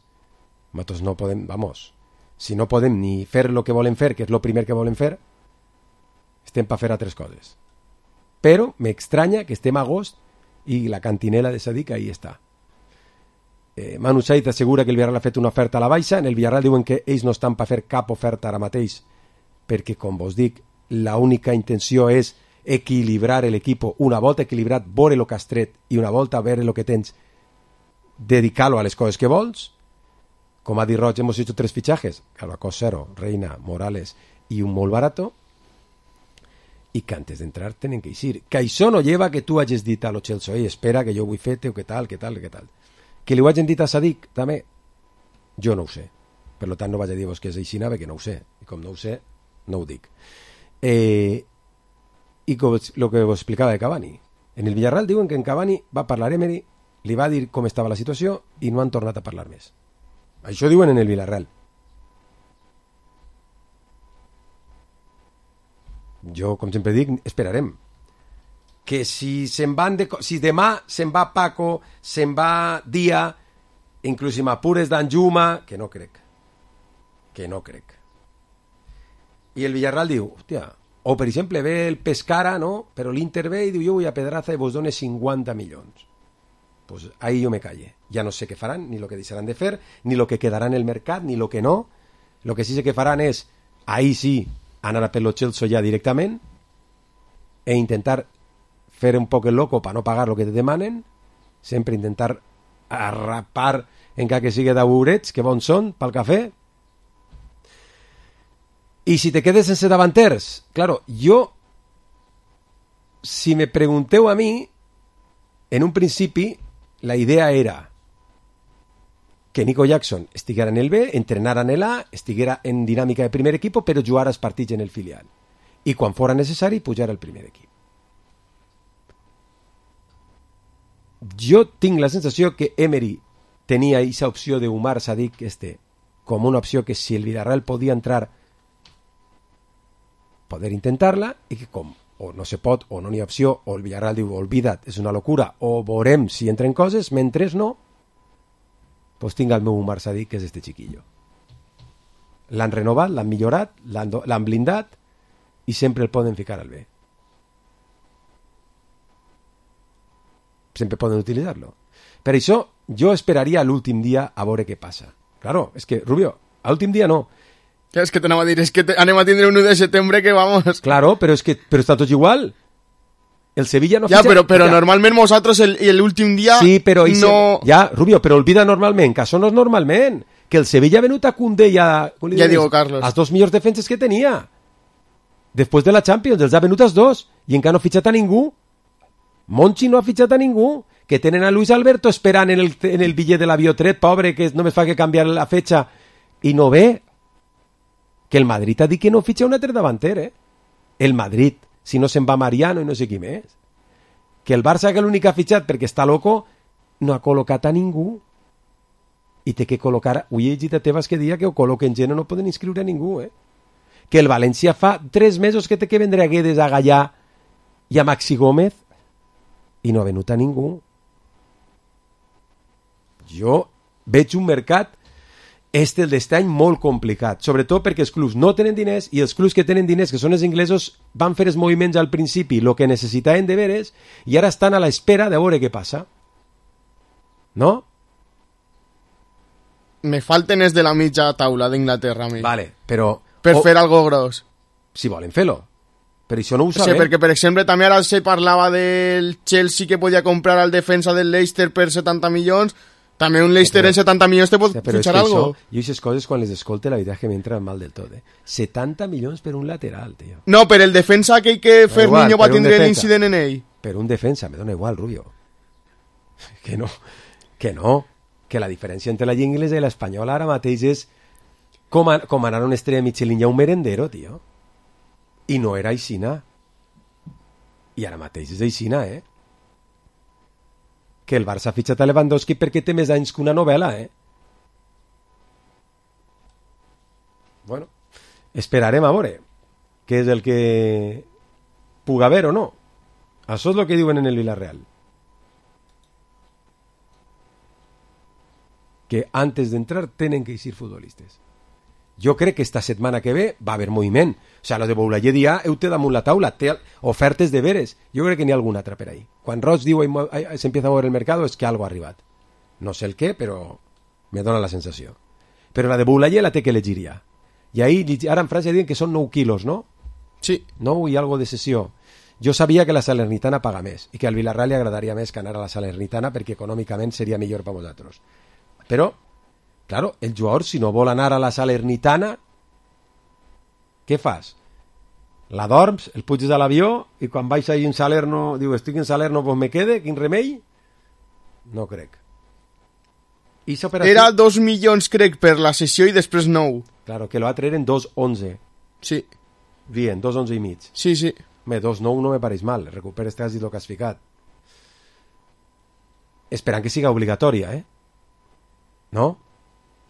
nosaltres no podem, vamos, si no podem ni fer el que volen fer, que és el primer que volen fer, estem per fer altres coses. Però m'estranya que estem a agost i la cantinela de Sadic ahí està. Eh, Manu Said assegura que el Villarreal ha fet una oferta a la baixa. En el Villarreal diuen que ells no estan per fer cap oferta ara mateix perquè, com vos dic, l'única intenció és equilibrar l'equip. Una volta equilibrat, veure el que has tret i una volta veure el que tens, dedicar-lo a les coses que vols. Com ha dit Roig, hemos hecho tres fichajes, Carvacós cero, Reina, Morales i un molt barato, i que antes d'entrar tenen que eixir. Que això no lleva que tu hagis dit a lo Chelsea, espera que jo vull fer-te o que tal, que tal, que tal. Que li ho hagin dit a Sadic, també, jo no ho sé. Per tant, no vaig a dir-vos que és així, que no ho sé. I com no ho sé, no ho dic. Eh, I com el que vos explicava de Cavani. En el Villarreal diuen que en Cavani va parlar Emery, li va dir com estava la situació i no han tornat a parlar més. Això diuen en el Villarreal. Jo, com sempre dic, esperarem. Que si se'n van de, si demà se'n va Paco, se'n va Dia, inclús si m'apures Danjuma, que no crec. Que no crec. I el Villarreal diu, hòstia, o per exemple ve el Pescara, no? Però l'Inter ve i diu, jo vull a Pedraza i vos done cinquanta milions. Pues ahí jo me calle. Ja no sé què faran, ni lo que deixaran de fer, ni lo que quedarà en el mercat, ni lo que no. Lo que sí sé que faran és, ahí sí, anar a per lo Chelsea ja directament e intentar fer un poc el loco per no pagar el que te demanen, sempre intentar arrapar encara que sigui d'aburets, que bons són pel cafè. I si te quedes sense davanters, claro, jo, si me pregunteu a mi, en un principi, la idea era que Nico Jackson estiguera en el B, entrenara en el A, estiguera en dinàmica de primer equip, però jugara els partits en el filial. I quan fora necessari, pujar al primer equip. Jo tinc la sensació que Emery tenia aquesta opció de Umar Sadik este, com una opció que si el Villarreal podia entrar, poder intentar-la, i que com o no se pot, o no n'hi ha opció, o el Villarreal diu, olvida't, és una locura, o veurem si entren coses, mentre no, pues tinc el meu Umar Sadik, que és este chiquillo. L'han renovat, l'han millorat, l'han blindat, i sempre el poden ficar al B. Sempre poden utilitzar-lo. Per això, jo esperaria l'últim dia a veure què passa. Claro, és que, Rubio, a l'últim dia no. És que t'anava a dir, és que te, anem a tindre un u de setembre que vamos... Claro, però és que però està tot igual. El Sevilla no... Ja, fitxa... però, però ja. Normalment nosaltres l'últim dia sí, però no... Se... Ja, Rubio, però olvida normalment, que això no és normalment. Que el Sevilla ha venut a Koundé i a... Ja digo, Carlos. Els dos millors defenses que tenia. Després de la Champions, els ha venut els dos. I encara no ha fitxat a ningú. Monchi no ha fitxat a ningú. Que tenen a Luis Alberto esperant en el, en el bitllet de l'avió tret, pobre, que només fa que canviar la fetxa. I no ve... que el Madrid ha dit que no fitxa un altre davanter, eh? El Madrid, si no se'n va Mariano i no sé qui més. Que el Barça, que l'únic que ha fitxat perquè està loco, no ha col·locat a ningú. I té que col·locar... Ui, he llegit a Tebas que dia que ho col·loquen gent, no poden inscriure a ningú, eh? Que el València fa tres mesos que té que vendre a Guedes, a Gallà i a Maxi Gómez i no ha venut a ningú. Jo veig un mercat este el d'este any molt complicat, sobretot perquè els clubs no tenen diners i els clubs que tenen diners, que són els inglesos, van fer els moviments al principi, el que necessitaven de veres, i ara estan a l'espera de veure què passa. No? Me falten els de la mitja taula d'Inglaterra, a mi. Vale, però... Per o... fer algo gros. Si volen fer-lo. Per això no ho sabem. Sí, perquè, per exemple, també ara se parlava del Chelsea que podia comprar al defensa del Leicester per setanta milions. També un Leicester sí, però, en setanta milions te pot sí, fitxar algo. Això, jo aquestes coses quan les escolte la veritat és que m'entren mal del tot, eh? setanta milions per un lateral, tio. No, per el defensa aquell que Ferminho va tindre l'incident en ell. Per un defensa, me dona igual, Rubio. Que no, que no. Que la diferència entre la lliga inglesa i l'espanyola ara mateix és com, a, com anar a una estrella Michelin i a un merendero, tio. I no era aixina. I ara mateix és aixina, eh? Que el Barça ha fitxat a Lewandowski perquè té més anys que una novel·la, eh? Bueno, esperarem a veure què és el que puga haver o no. Això és el que diuen en el Villarreal. Que antes d'entrar tenen que eixir futbolistes. Jo crec que esta setmana que ve va haver moviment. O sea, lo de Boulaye dia heu té damunt la taula, té ofertes de veres. Jo crec que n'hi ha alguna altra per ahí. Quan Roig diu se empieza a mover el mercado és que algo ha arribat. No sé el què, però me dona la sensació. Però la de Boulaye la té que elegir ja. I ahí, ara en França diuen que són nou quilos, no? Sí. Nou i algo de sessió. Jo sabia que la Salernitana paga més i que al Villarreal li agradaria més que anar a la Salernitana perquè econòmicament seria millor per vosaltres. Però claro, el jugador, si no vol anar a la Salernitana, què fas? La dorms, el puges a l'avió i quan baix ahí en Salerno, diu, estic en Salerno, pues me quede, quin remei? No crec. Operació... Era dos milions, crec, per la sessió i després nou. Claro, que l'altre eren dos onze. Sí. Bien, dos onze i mig. Sí, sí. Home, dos nou no me pareix mal, recuperes quasi el que has ficat. Esperant que siga obligatòria, eh? No?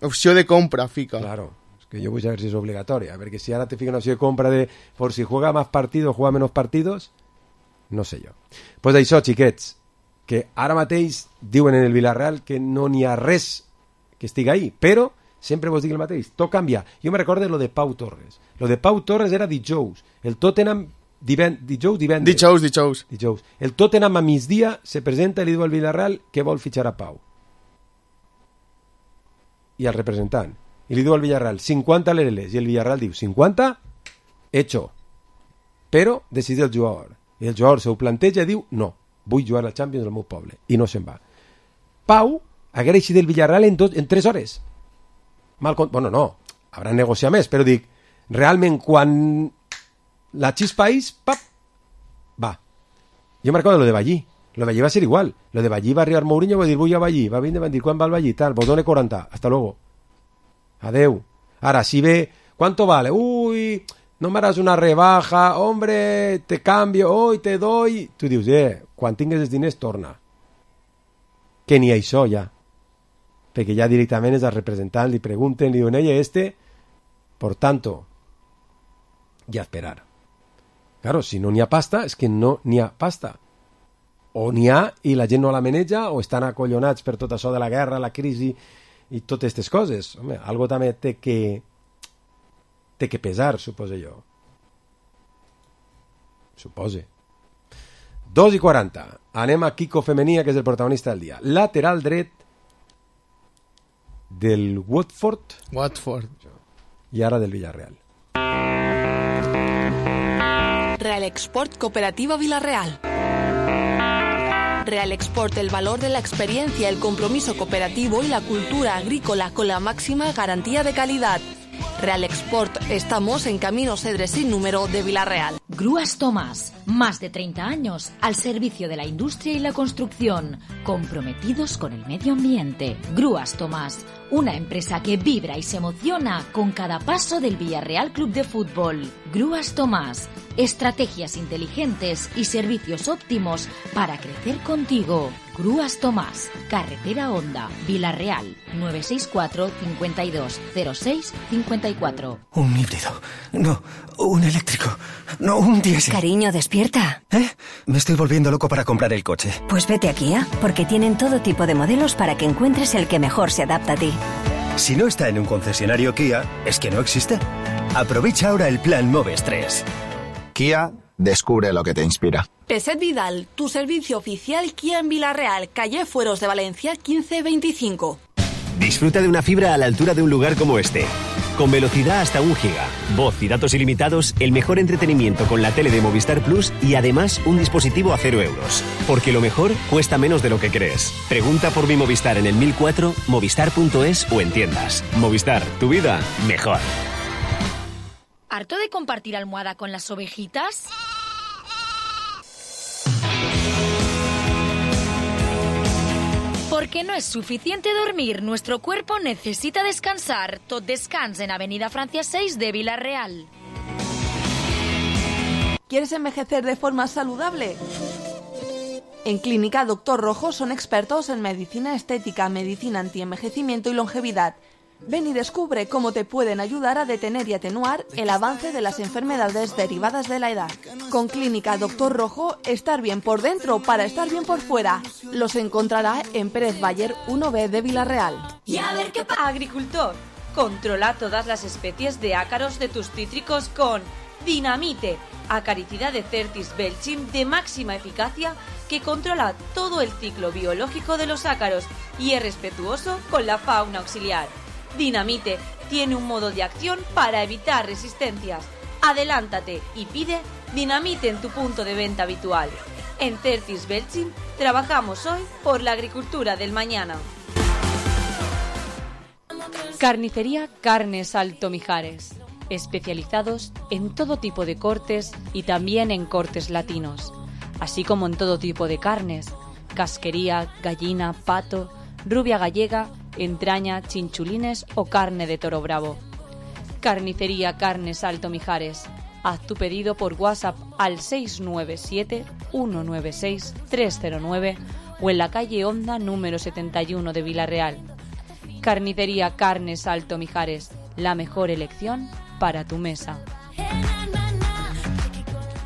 Opció de compra, fica. Claro, es que yo voy a ver si es obligatoria, porque si ahora te fica una opción de compra de por si juega más partidos, juega menos partidos, no sé jo. Pues d'això, xiquets, que ara mateix diuen en el Villarreal que no n'hi ha res que estigui ahí, però sempre vos dic el mateix, tot canvia. Jo me recordo lo de Pau Torres. Lo de Pau Torres era dijous. El Tottenham diven... dijous, divendres. Dijous, dijous. Dijous. El Tottenham a migdia se presenta i li diu al Villarreal que vol fitxar a Pau. I al representant. I li diu al Villarreal cinquanta lereles. I el Villarreal diu cinquanta? Hecho. Però decideix el jugador. I el jugador se ho planteja i diu no, vull jugar al Champions del meu poble. I no se'n va. Pau haguera eixit del Villarreal en, dos, en tres hores. Mal con... Bueno, no. Haurà negociat més, però dic, realment, quan la xispa és, pap, va. Jo me recordo lo de Ballí. Lo de Ballí va ser igual. Lo de Ballí va arribar Mourinho, va dir, vull a Ballí. Va vindre, van dir, quan va el Ballí? Tal, vos done quaranta. Hasta luego. Adeu. Ara, si ve, ¿cuánto vale? Uy, no me harás una rebaja, hombre, te cambio, hoy te doy. Tu dius, eh, quan tingues els diners, torna. Que ni això, ja. Perquè ja directament és al representant, li pregunten, li diuen, ella, este, por tanto, i a esperar. Claro, si no n'hi ha pasta, és que no n'hi ha pasta. O n'hi ha i la gent no la maneja, o estan acollonats per tot això de la guerra, la crisi i totes aquestes coses. Home, algo també té que té que pesar, suposo jo. Supose. dos i quaranta. Anem a Kiko Femenia, que és el protagonista del dia. Lateral dret del Watford. Watford. I ara del Villarreal. Real Export Cooperativa Villarreal. Real Export, el valor de la experiencia, el compromiso cooperativo y la cultura agrícola con la máxima garantía de calidad. Real Export, estamos en Camino Cedres sin número de Villarreal. Grúas Tomás, más de treinta años al servicio de la industria y la construcción, comprometidos con el medio ambiente. Grúas Tomás, una empresa que vibra y se emociona con cada paso del Villarreal Club de Fútbol. Grúas Tomás, estrategias inteligentes y servicios óptimos para crecer contigo. Grúas Tomás, Carretera Honda, Villarreal, nueve seis cuatro, cincuenta y dos, cero seis, cincuenta y cuatro. Un híbrido, no, un eléctrico, no, un diésel. Cariño, despierta. ¿Eh? Me estoy volviendo loco para comprar el coche. Pues vete a Kia, porque tienen todo tipo de modelos para que encuentres el que mejor se adapta a ti. Si no está en un concesionario Kia, es que no existe. Aprovecha ahora el plan Moves tres. Kia, descubre lo que te inspira. Peset Vidal, tu servicio oficial Kia en Villarreal, calle Fueros de Valencia quince veinticinco. Disfruta de una fibra a la altura de un lugar como este. Con velocidad hasta un giga, voz y datos ilimitados, el mejor entretenimiento con la tele de Movistar Plus y además un dispositivo a cero euros. Porque lo mejor cuesta menos de lo que crees. Pregunta por mi Movistar en el mil cuatro, movistar punto es o en tiendas. Movistar, tu vida mejor. ¿Harto de compartir almohada con las ovejitas? Porque no es suficiente dormir, nuestro cuerpo necesita descansar. Tot Descans en Avenida Francia seis de Villarreal. ¿Quieres envejecer de forma saludable? En Clínica Doctor Rojo son expertos en medicina estética, medicina antienvejecimiento y longevidad. Ven y descubre cómo te pueden ayudar a detener y atenuar el avance de las enfermedades derivadas de la edad. Con Clínica Doctor Rojo, estar bien por dentro para estar bien por fuera. Los encontrará en Pérez Bayer uno B de Villarreal. Y a ver qué pasa. Agricultor, controla todas las especies de ácaros de tus cítricos con Dinamite, acaricida de Certis Belchim de máxima eficacia que controla todo el ciclo biológico de los ácaros y es respetuoso con la fauna auxiliar. Dinamite tiene un modo de acción para evitar resistencias. Adelántate y pide Dinamite en tu punto de venta habitual. En Certis Belchim trabajamos hoy por la agricultura del mañana. Carnicería Carnes Alto Mijares, especializados en todo tipo de cortes y también en cortes latinos, así como en todo tipo de carnes, casquería, gallina, pato, rubia gallega, entraña, chinchulines o carne de toro bravo. Carnicería Carnes Alto Mijares. Haz tu pedido por WhatsApp al seis nueve siete, uno nueve seis, tres cero nueve o en la calle Honda número setenta y uno de Villarreal. Carnicería Carnes Alto Mijares. La mejor elección para tu mesa.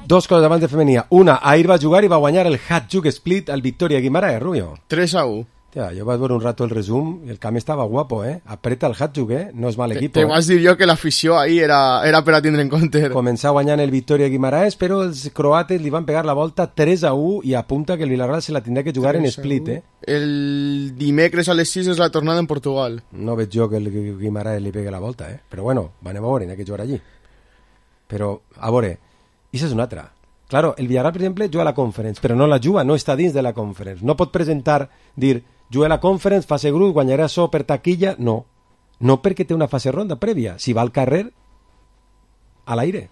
Dos coses davant de femenia. Una, ahir va jugar i va guanyar el Hat Jug Split al Victoria Guimaraes, Rubio. tres a u. Tía, yo vaig veure un rato el resum y el camí estaba guapo, ¿eh? Apreta el Hatchuk, ¿eh? No és mal equip. Te, te eh? vas dir jo que l'afició ahí era, era per a tindre en compte. Començar guanyant el Victoria Guimaraes, però els croates li van pegar la volta tres a u i apunta que el Villarreal se la tindrà que jugar en split, eh? El dimecres a les sis és la tornada en Portugal. No veig jo que el Guimaraes li pegue la volta, eh? Però bueno, anem a veure, n'hi ha que jugar allí. Però, a veure, i és una altra. Claro, el Villarreal, per exemple, juga a la Conference, però no la juga, no està dins de la Conference. No pot presentar, dir, juga a la Conference, fase grup, guanyarà això per taquilla, no. No perquè té una fase ronda prèvia. Si va al carrer, a l'aire.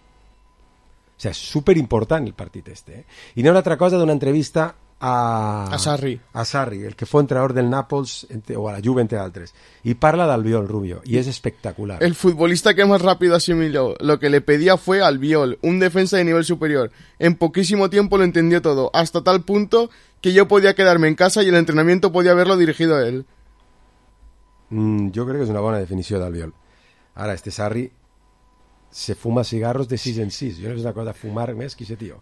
O sigui, és superimportant el partit este. Eh? I n'hi ha una altra cosa d'una entrevista a... A Sarri. A Sarri, el que fue entrenador del Nàpols o a la Juve, entre altres. Y parla d'Albiol, Rubio, y es espectacular. El futbolista que más rápido asimiló lo que le pedía fue Albiol, un defensa de nivel superior. En poquísimo tiempo lo entendió todo, hasta tal punto que yo podía quedarme en casa y el entrenamiento podía haberlo dirigido a él. Mm, jo crec que és una bona definició d'Albiol. Ara, este Sarri se fuma cigarros de sis en sis. Jo no és una cosa fumar més que ese tío.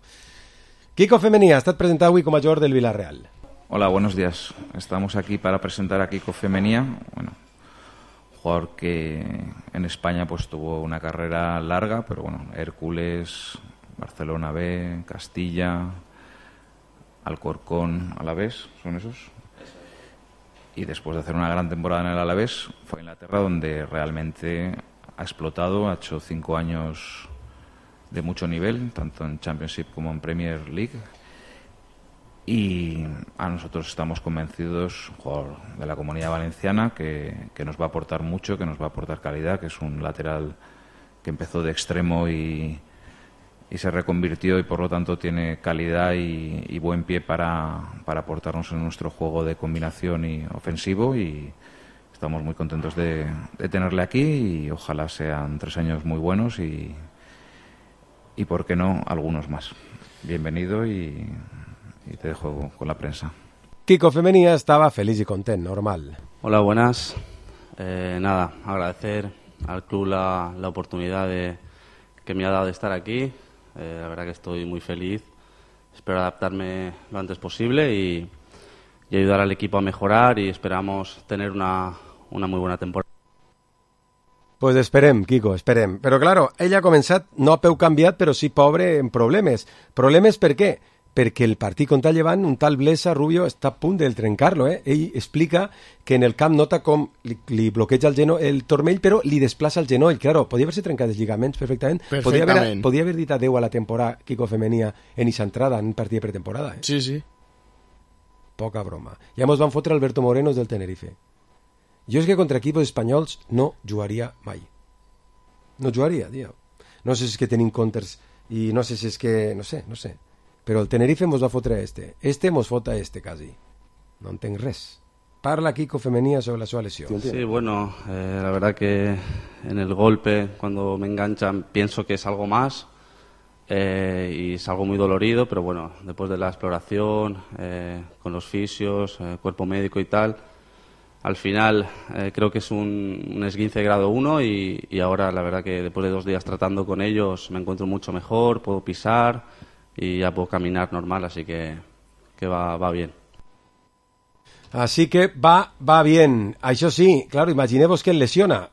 Kiko Femenía, ha estat presentat avui com a jugador del Villarreal. Hola, buenos días. Estamos aquí para presentar a Kiko Femenía, bueno, jugador que en España pues tuvo una carrera larga, pero bueno, Hércules, Barcelona B, Castilla, Alcorcón, Alavés, ¿son esos? Y después de hacer una gran temporada en el Alavés, fue a Inglaterra donde realmente ha explotado, ha hecho cinco años de mucho nivel, tanto en Championship como en Premier League. Y a nosotros estamos convencidos, jugador de la Comunidad Valenciana, que, que nos va a aportar mucho, que nos va a aportar calidad, que es un lateral que empezó de extremo y, y se reconvirtió y por lo tanto tiene calidad y, y buen pie para, para aportarnos en nuestro juego de combinación y ofensivo, y estamos muy contentos de, de tenerle aquí y ojalá sean tres años muy buenos y y por qué no algunos más. Bienvenido y, y te dejo con la prensa. Kiko Femenía estaba feliz y contento, normal. Hola, buenas. Eh, nada, agradecer al club la, la oportunidad de, que me ha dado de estar aquí. Eh, la verdad que estoy muy feliz. Espero adaptarme lo antes posible y, y ayudar al equipo a mejorar, y esperamos tener una, una muy buena temporada. Pues esperem, Kiko, esperem. Però, claro, ell ha començat, no a peu canviat, però sí pobre en problemes. Problemes per què? Perquè el partit contra el Llevant, un tal Blesa, Rubio, està a punt de trencar-lo. Eh? Ell explica que en el camp nota com li, li bloqueja el, geno, el turmell, però li desplaça el genoll. Claro, podia haver-se trencat els lligaments perfectament. Perfectament. Podia haver, podia haver dit adeu a la temporada Kiko Femenía en esa entrada, en un partit de pretemporada. Eh? Sí, sí. Poca broma. Ja mos van fotre Alberto Morenos del Tenerife. Jo és que contra equipos espanyols no jugaria mai. No jugaria, tio. No sé si és que tenim counters i no sé si és que... No sé, no sé. Però el Tenerife mos va fotre este. Este mos fota este, quasi. No entenc res. Parla Kiko Femenía sobre la seva lesión. Sí, bueno, eh, la verdad que en el golpe, cuando me enganchan, pienso que es algo más. Eh, y es algo muy dolorido, pero bueno, después de la exploración, eh, con los fisios, eh, cuerpo médico y tal... Al final eh, creo que es un, un esguince grado uno y, y ahora la verdad que después de dos días tratando con ellos me encuentro mucho mejor, puedo pisar y ya puedo caminar normal, así que, que va, va bien. Así que va, va bien. Això sí, claro, imagineu-vos que el lesiona.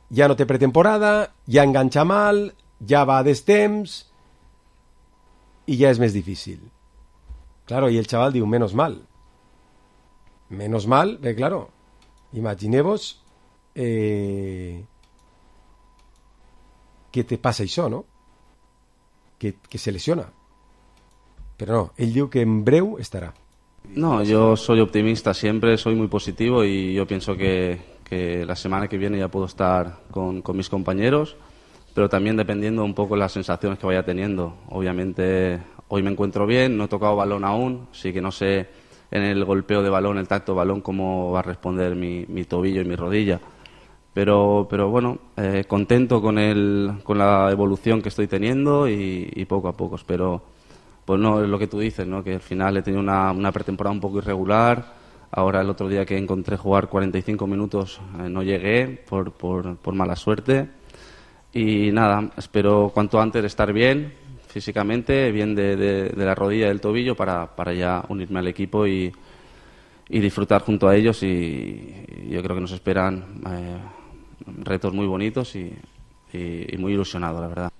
Ja no té pretemporada, ja enganxa mal, ja va a destemps i ja és més difícil. Claro, i el xaval diu, menos mal. Menos mal, bé, claro. Imagineu-vos eh, que te passa això, no? Que, que se lesiona. Però no, ell diu que en breu estarà. No, yo soy optimista siempre, soy muy positivo y yo pienso que, que la semana que viene ya puedo estar con, con mis compañeros, pero también dependiendo un poco de las sensaciones que vaya teniendo. Obviamente hoy me encuentro bien, no he tocado balón aún, así que no sé en el golpeo de balón, el tacto de balón, cómo va a responder mi, mi tobillo y mi rodilla. Pero, pero bueno, eh, contento con, el, con la evolución que estoy teniendo y, y poco a poco espero, pues no, es lo que tú dices, ¿no? Que al final he tenido una, una pretemporada un poco irregular. Ahora el otro día que encontré jugar cuarenta y cinco minutos eh, no llegué por, por, por mala suerte. Y nada, espero cuanto antes estar bien físicamente, bien de, de, de la rodilla y del tobillo para, para ya unirme al equipo y, y disfrutar junto a ellos, y, y yo creo que nos esperan eh, retos muy bonitos y, y, y muy ilusionado, la verdad.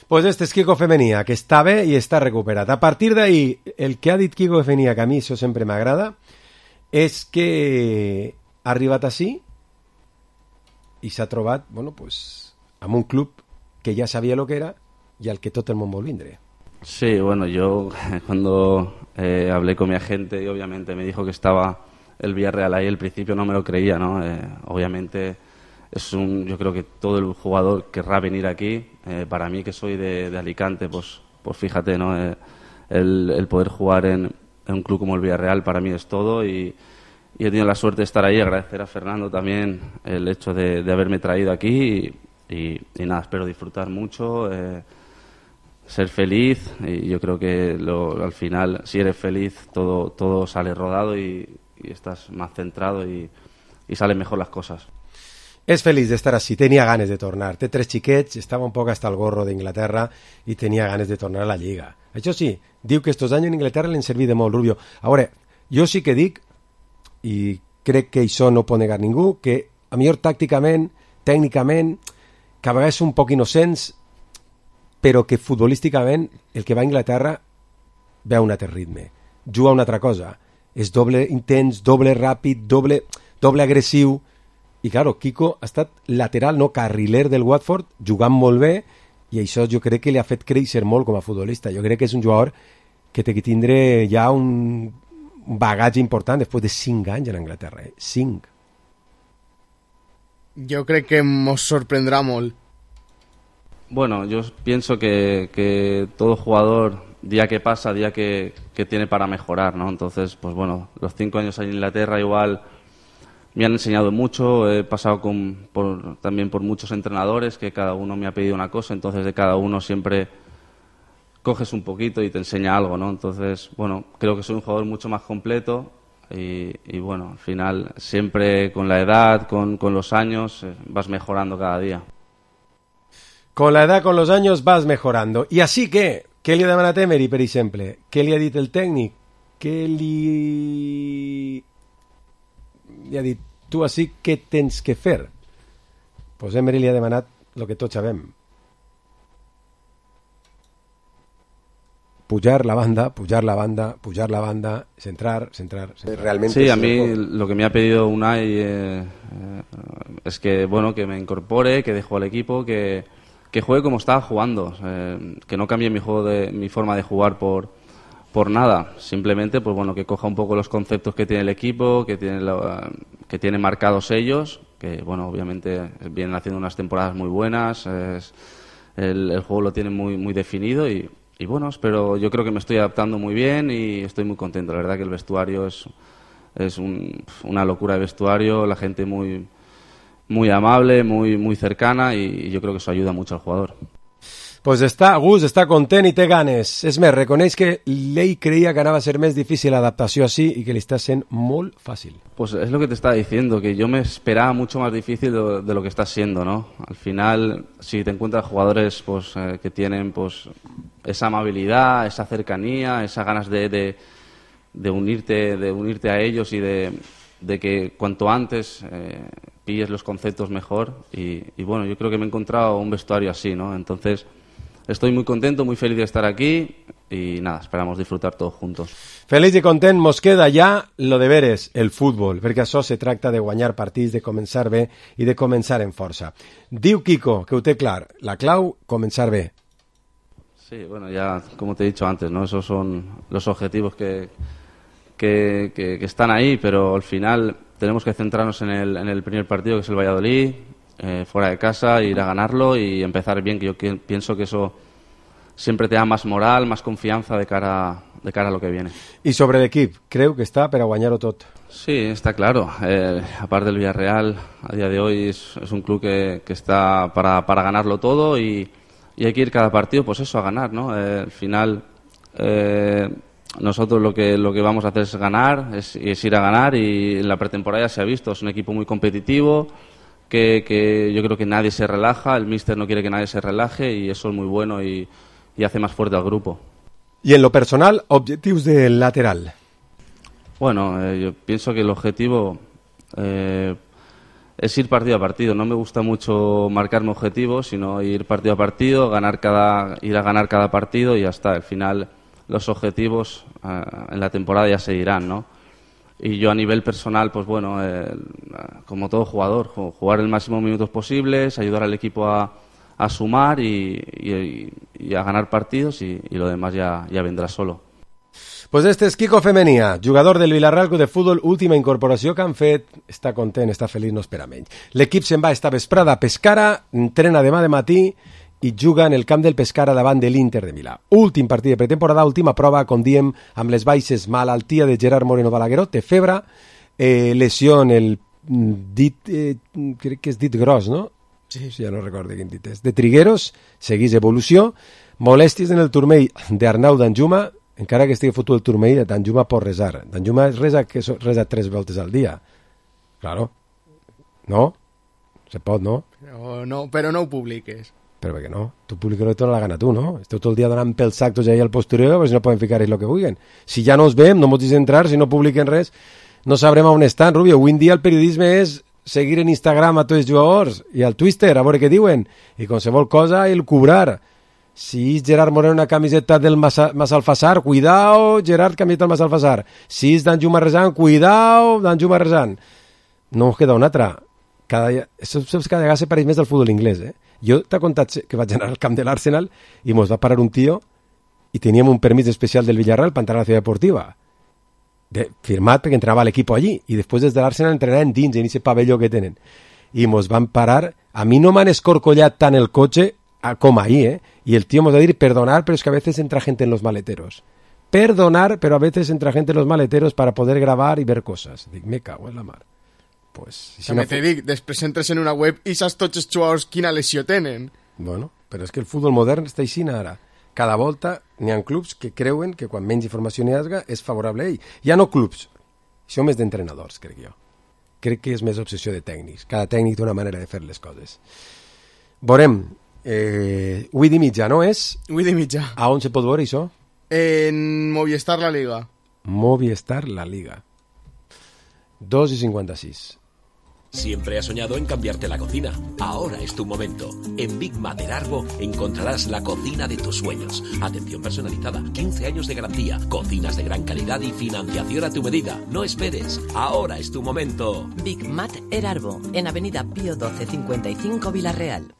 Pues este és Kiko Femenía, que està bé i està recuperat. A partir d'ahí, el que ha dit Kiko Femenía, que a mi això sempre m'agrada, és que ha arribat així i s'ha trobat, bueno, pues, amb un club que ja sabia lo que era y al que todo el mundo vol vindre. Sí, bueno, yo cuando eh, hablé con mi agente y obviamente me dijo que estaba el Villarreal ahí, al principio no me lo creía, ¿no? Eh, obviamente es un, yo creo que todo el jugador querrá venir aquí. Eh, para mí, que soy de, de Alicante, pues, pues fíjate, ¿no? Eh, el, el poder jugar en, en un club como el Villarreal para mí es todo, y, y he tenido la suerte de estar ahí. Agradecer a Fernando también el hecho de, de haberme traído aquí, y, y, y nada, espero disfrutar mucho, eh, ser feliz, y yo creo que lo, al final, si eres feliz, todo, todo sale rodado y, y estás más centrado y, y salen mejor las cosas. És feliç d'estar així, tenia ganes de tornar. Té tres xiquets, estava un poc hasta el gorro d'Inglaterra i tenia ganes de tornar a la Lliga. Això sí, diu que estos anys en Inglaterra l'han servit de molt, Rubio. A veure, jo sí que dic, i crec que això no pot negar ningú, que a millor tàcticament, tècnicament, que a vegades un poc innocents, però que futbolísticament el que va a Inglaterra ve a un altre ritme, juga a una altra cosa, és doble intens, doble ràpid, doble, doble agressiu. I, claro, Kiko ha estat lateral, no carriler del Watford, jugant molt bé, i això jo crec que li ha fet créixer molt com a futbolista. Jo crec que és un jugador que té que tindre ja un bagatge important després de cinc anys en Anglaterra. Eh? Cinc. Jo crec que ens sorprendrà molt. Bueno, yo pienso que, que todo jugador, día que pasa, día que, que tiene para mejorar, ¿no? Entonces, pues bueno, los cinco años en Inglaterra igual me han enseñado mucho, he pasado con, por, también por muchos entrenadores que cada uno me ha pedido una cosa, entonces de cada uno siempre coges un poquito y te enseña algo, ¿no? Entonces, bueno, creo que soy un jugador mucho más completo y, y bueno, al final siempre con la edad, con, con los años, eh, vas mejorando cada día. Con la edad, con los años, vas mejorando. I així que, què li ha demanat Emery, per exemple? Què li ha dit el tècnic? Què li... li ha dit, tu així què tens que fer? Pues Emery li ha demanat el que tots sabem. Pujar la banda, pujar la banda, pujar la banda, centrar, centrar, centrar. Realmente sí, a mí lo que me ha pedido Unai eh, eh, es que, bueno, que me incorpore, que dejo al equipo, que, que juegue como estaba jugando, eh, que no cambie mi juego de, mi forma de jugar por, por nada. Simplemente, pues bueno, que coja un poco los conceptos que tiene el equipo, que tiene, lo, que tiene marcados ellos, que, bueno, obviamente vienen haciendo unas temporadas muy buenas, es, el, el juego lo tienen muy, muy definido y Y bueno, pero yo creo que me estoy adaptando muy bien y estoy muy contento. La verdad que el vestuario es, es un, una locura de vestuario, la gente muy, muy amable, muy, muy cercana y yo creo que eso ayuda mucho al jugador. Pues està a gust, està content i té ganes. És més, reconeix que ell creia que anava a ser més difícil l'adaptació així i que li està sent molt fàcil. Pues es lo que te estaba diciendo, que yo me esperaba mucho más difícil de, de lo que está siendo, ¿no? Al final, si te encuentras jugadores pues eh, que tienen pues esa amabilidad, esa cercanía, esas ganas de, de, de unirte, de unirte a ellos y de, de que cuanto antes eh, pilles los conceptos mejor y, y bueno, yo creo que me he encontrado un vestuario así, ¿no? Entonces estoy muy contento, muy feliz de estar aquí y nada, esperamos disfrutar todos juntos. Feliç i content, mos queda ja lo de veres, el futbol, perquè això se tracta de guanyar partits, de començar bé i de començar en força. Diu Kiko, que ho té clar, la clau, començar bé. Sí, bueno, ya como te he dicho antes, ¿no? Esos son los objetivos que, que, que, que están ahí, pero al final tenemos que centrarnos en el, en el primer partido, que es el Valladolid, eh, fuera de casa, ir a ganarlo y empezar bien, que yo que, pienso que eso siempre te da más moral, más confianza de cara, de cara a lo que viene. I sobre l'equip, creu que està per a guanyar-ho tot? Sí, está claro. Eh, aparte del Villarreal, a día de hoy es, es un club que, que está para, para ganarlo todo y, y hay que ir cada partido, pues eso, a ganar, ¿no? Eh, al final, eh, nosotros lo que, lo que vamos a hacer es ganar, es, es ir a ganar y en la pretemporada ya se ha visto, es un equipo muy competitivo, que, que yo creo que nadie se relaja, el míster no quiere que nadie se relaje y eso es muy bueno y y hace más fuerte al grupo. Y en lo personal, objetivos del lateral. Bueno, eh, yo pienso que el objetivo eh, es ir partido a partido. No me gusta mucho marcarme objetivos, sino ir partido a partido, ganar cada, ir a ganar cada partido y ya está. Al final, los objetivos eh, en la temporada ya se dirán, ¿no? Y yo a nivel personal, pues bueno, eh, como todo jugador, jugar el máximo minutos posibles, ayudar al equipo a a sumar y, y, y a ganar partidos y, y lo demás ya, ya vendrá solo. Pues este és Kiko Femenia, jugador del Villarreal Club de Futbol, última incorporació que han fet. Està content, està feliç, no espera menys. L'equip se'n va esta vesprada a Pescara, entrena demà de matí i juga en el camp del Pescara davant de l'Inter de Milà. Últim partit de pretemporada, última prova, com diem, amb les baixes, malaltia de Gerard Moreno Balagueró, té febre, eh, lesió en el dit, eh, crec que és dit gros, no? Sí. Ja no recordo quin dit és. De Trigueros, seguís evolució, molèsties en el turmell d'Arnau Danjuma, encara que estigui fotut el turmell, Danjuma pot resar. Danjuma resa, que resa tres voltes al dia. Claro. No? Se pot, no? Però no, però no ho publiques. Però per què no? Tu publiques el que la gana tu, no? Esteu tot el dia donant pels sactos ahí al postureo, pues no poden ficar el que vulguen. Si ja no us veiem, no mos deixen entrar, si no publiquen res, no sabrem on estan, Rubio. Avui en dia el periodisme és seguir en Instagram a tots els jugadors i al Twitter, a veure què diuen, i qualsevol cosa el cobrar. Si és Gerard Moreno una camiseta del Massalfassar, cuidao, Gerard, camiseta del Massalfassar. Si és Danjuma Rezan, cuidao, Danjuma Rezan. No us queda una altra. Cada, això, cada vegada se pareix més del futbol inglès, eh? Jo t'he contat que vaig anar al camp de l'Arsenal i mos va parar un tio i teníem un permís especial del Villarreal per entrar a la ciutat deportiva. De, firmat perquè entrava l'equip allí i després des de l'Arsenal entrenaven dins en aquest pavelló que tenen. I mos van parar. A mi no m'han escorcollat tant el cotxe com ahí, ¿eh? Y el tío me va a decir, perdonar, pero es que a veces entra gente en los maleteros. Perdonar, pero a veces entra gente en los maleteros para poder grabar y ver cosas. Dic, me cago en la mar. Pues, si També no... te dic, després entres en una web i saps tots els jugadors quina lesió tenen. Bueno, però és que el futbol modern està així ara. Cada volta n'hi ha clubs que creuen que quan menys informació n'hi hagi és favorable a ell. Ja no clubs, això més d'entrenadors, crec jo. Crec que és més obsessió de tècnics. Cada tècnic té una manera de fer les coses. Veurem. Eh, vuit i mitja, no és? vuit i mitja. A on se pot veure això? En Movistar La Liga. Movistar La Liga. dos i cinquanta-sis. Siempre has soñado en cambiarte la cocina. Ahora es tu momento. En Big Mat El Arbo encontrarás la cocina de tus sueños. Atención personalizada, quince años de garantía, cocinas de gran calidad y financiación a tu medida. No esperes. Ahora es tu momento. Big Mat El Arbo, en Avenida Pío doce cincuenta y cinco, Villarreal.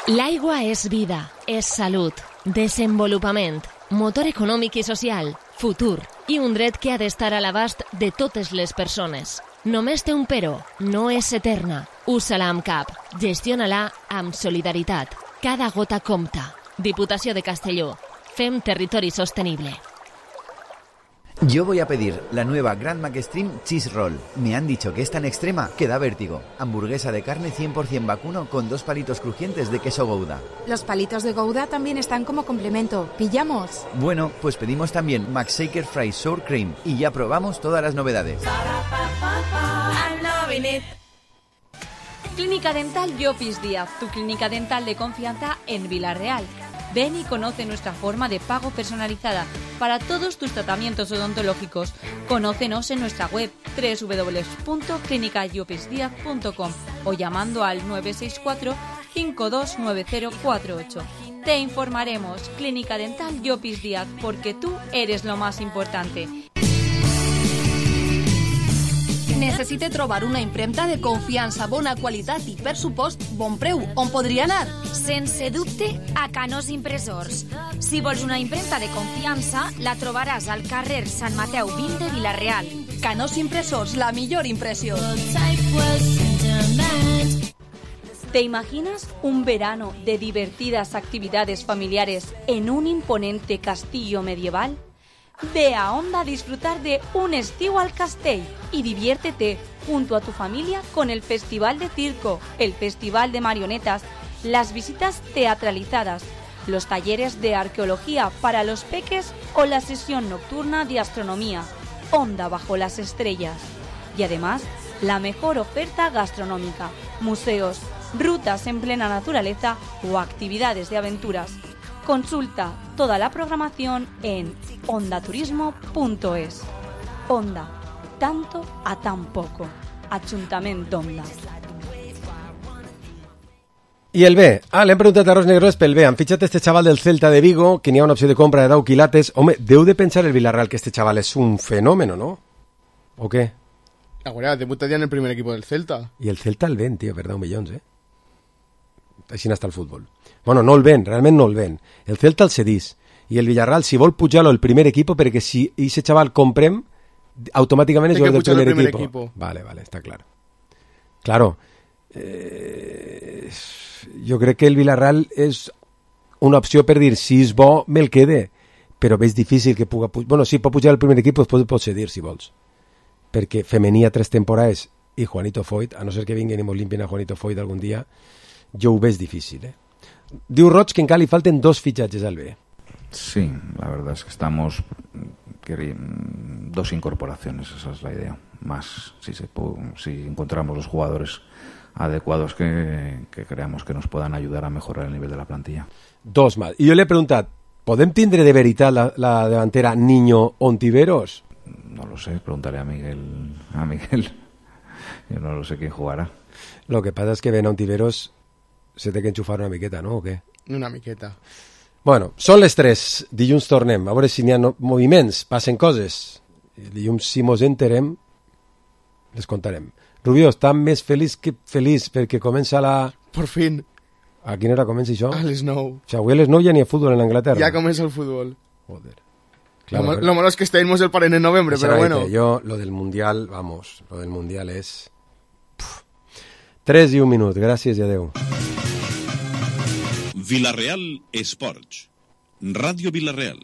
L'aigua és vida, és salut, desenvolupament, motor econòmic i social, futur i un dret que ha d'estar a l'abast de totes les persones. Només té un però, no és eterna. Usa-la amb cap, gestiona-la amb solidaritat. Cada gota compta. Diputació de Castelló. Fem territori sostenible. Yo voy a pedir la nueva Grand Mac Extreme Cheese Roll. Me han dicho que es tan extrema que da vértigo. Hamburguesa de carne cien por ciento vacuno con dos palitos crujientes de queso Gouda. Los palitos de Gouda también están como complemento. ¿Pillamos? Bueno, pues pedimos también Mac Shaker Fry Sour Cream y ya probamos todas las novedades. Clínica Dental Llopis Díaz, tu clínica dental de confianza en Villarreal. Ven y conoce nuestra forma de pago personalizada para todos tus tratamientos odontológicos. Conócenos en nuestra web doble u doble u doble u punto clínica llopis díaz punto com o llamando al nueve seis cuatro, cinco dos nueve cero cuatro ocho. Te informaremos. Clínica Dental Llopis Díaz, porque tú eres lo más importante. Necessite trobar una impremta de confiança, bona qualitat i, per supost, bon preu. On podria anar? Sense dubte, a Canós Impressors. Si vols una impremta de confiança, la trobaràs al carrer Sant Mateu vint de Vila-real. Canós Impressors, la millor impressió. ¿Te imaginas un verano de divertidas actividades familiares en un imponente castillo medieval? Ve a Onda a disfrutar de un estiu al Castell y diviértete junto a tu familia con el Festival de Circo, el Festival de Marionetas, las visitas teatralizadas, los talleres de arqueología para los peques o la sesión nocturna de astronomía, Onda bajo las estrellas. Y además, la mejor oferta gastronómica, museos, rutas en plena naturaleza o actividades de aventuras. Consulta toda la programación en ondaturismo punto es. Onda, tanto a tan poco. Ajuntament d'Onda. I el B. Ah, l'hem preguntat a Ros Negros pel B. Han fitxat este xaval del Celta de Vigo, que n'hi ha una opció de compra de deu quilates. Home, deu de pensar el Villarreal que este xaval és un fenómeno, ¿no? ¿O qué? Ahora, debuta ya en el primer equipo del Celta. I el Celta el ven, tío, per deu milions, eh? Així n'està el futbol. Bueno, no el ven, realment no el ven. El Celta el cedís. I el Villarreal, si vol pujar-lo el primer equipo, perquè si ese chaval comprem, automàticament és jugador del primer, primer equipo. equipo. Vale, vale, està clar. Claro, eh, jo crec que el Villarreal és una opció per dir, si és bo, me'l quede, però és difícil que puga pujar. Bueno, sí, pot pujar el primer equip, després pot cedir, si vols. Perquè femení a tres temporades i Juanito Foyt, a no ser que vinguin i mos limpien a Juanito Foyt algun dia, jo ho veig difícil, eh? Diu Roig que encara li falten dos fitxatges al B. Sí, la verdad es que estamos dos incorporaciones, esa es la idea. Más si, se, si encontramos los jugadores adecuados que, que creamos que nos puedan ayudar a mejorar el nivel de la plantilla. Dos más. I jo li he preguntat, ¿podem tindre de veritat la, la delantera Niño Ontiveros? No lo sé, preguntaré a Miguel. A Miguel. Yo no lo sé quién jugará. Lo que pasa es que Ben Ontiveros se té que enxufar una miqueta, ¿no? ¿O què? Una miqueta. Bueno, són les tres. Dilluns tornem. A veure si n'hi ha no moviments, passen coses. Dilluns, si mos enterem, les contarem. Rubió, està més feliç que feliç perquè comença la... Por fin. A quina hora comença això? A les nou. O sigui, avui a les nou ja n'hi ha futbol en Anglaterra. Ya comienza el fútbol. Joder. Claro, lo, lo malo es que estemos el par en noviembre, pero bueno. Yo, lo del Mundial, vamos, lo del Mundial es... Puf. Tres i un minut, gràcies i adeu. Villarreal Esports. Ràdio Villarreal.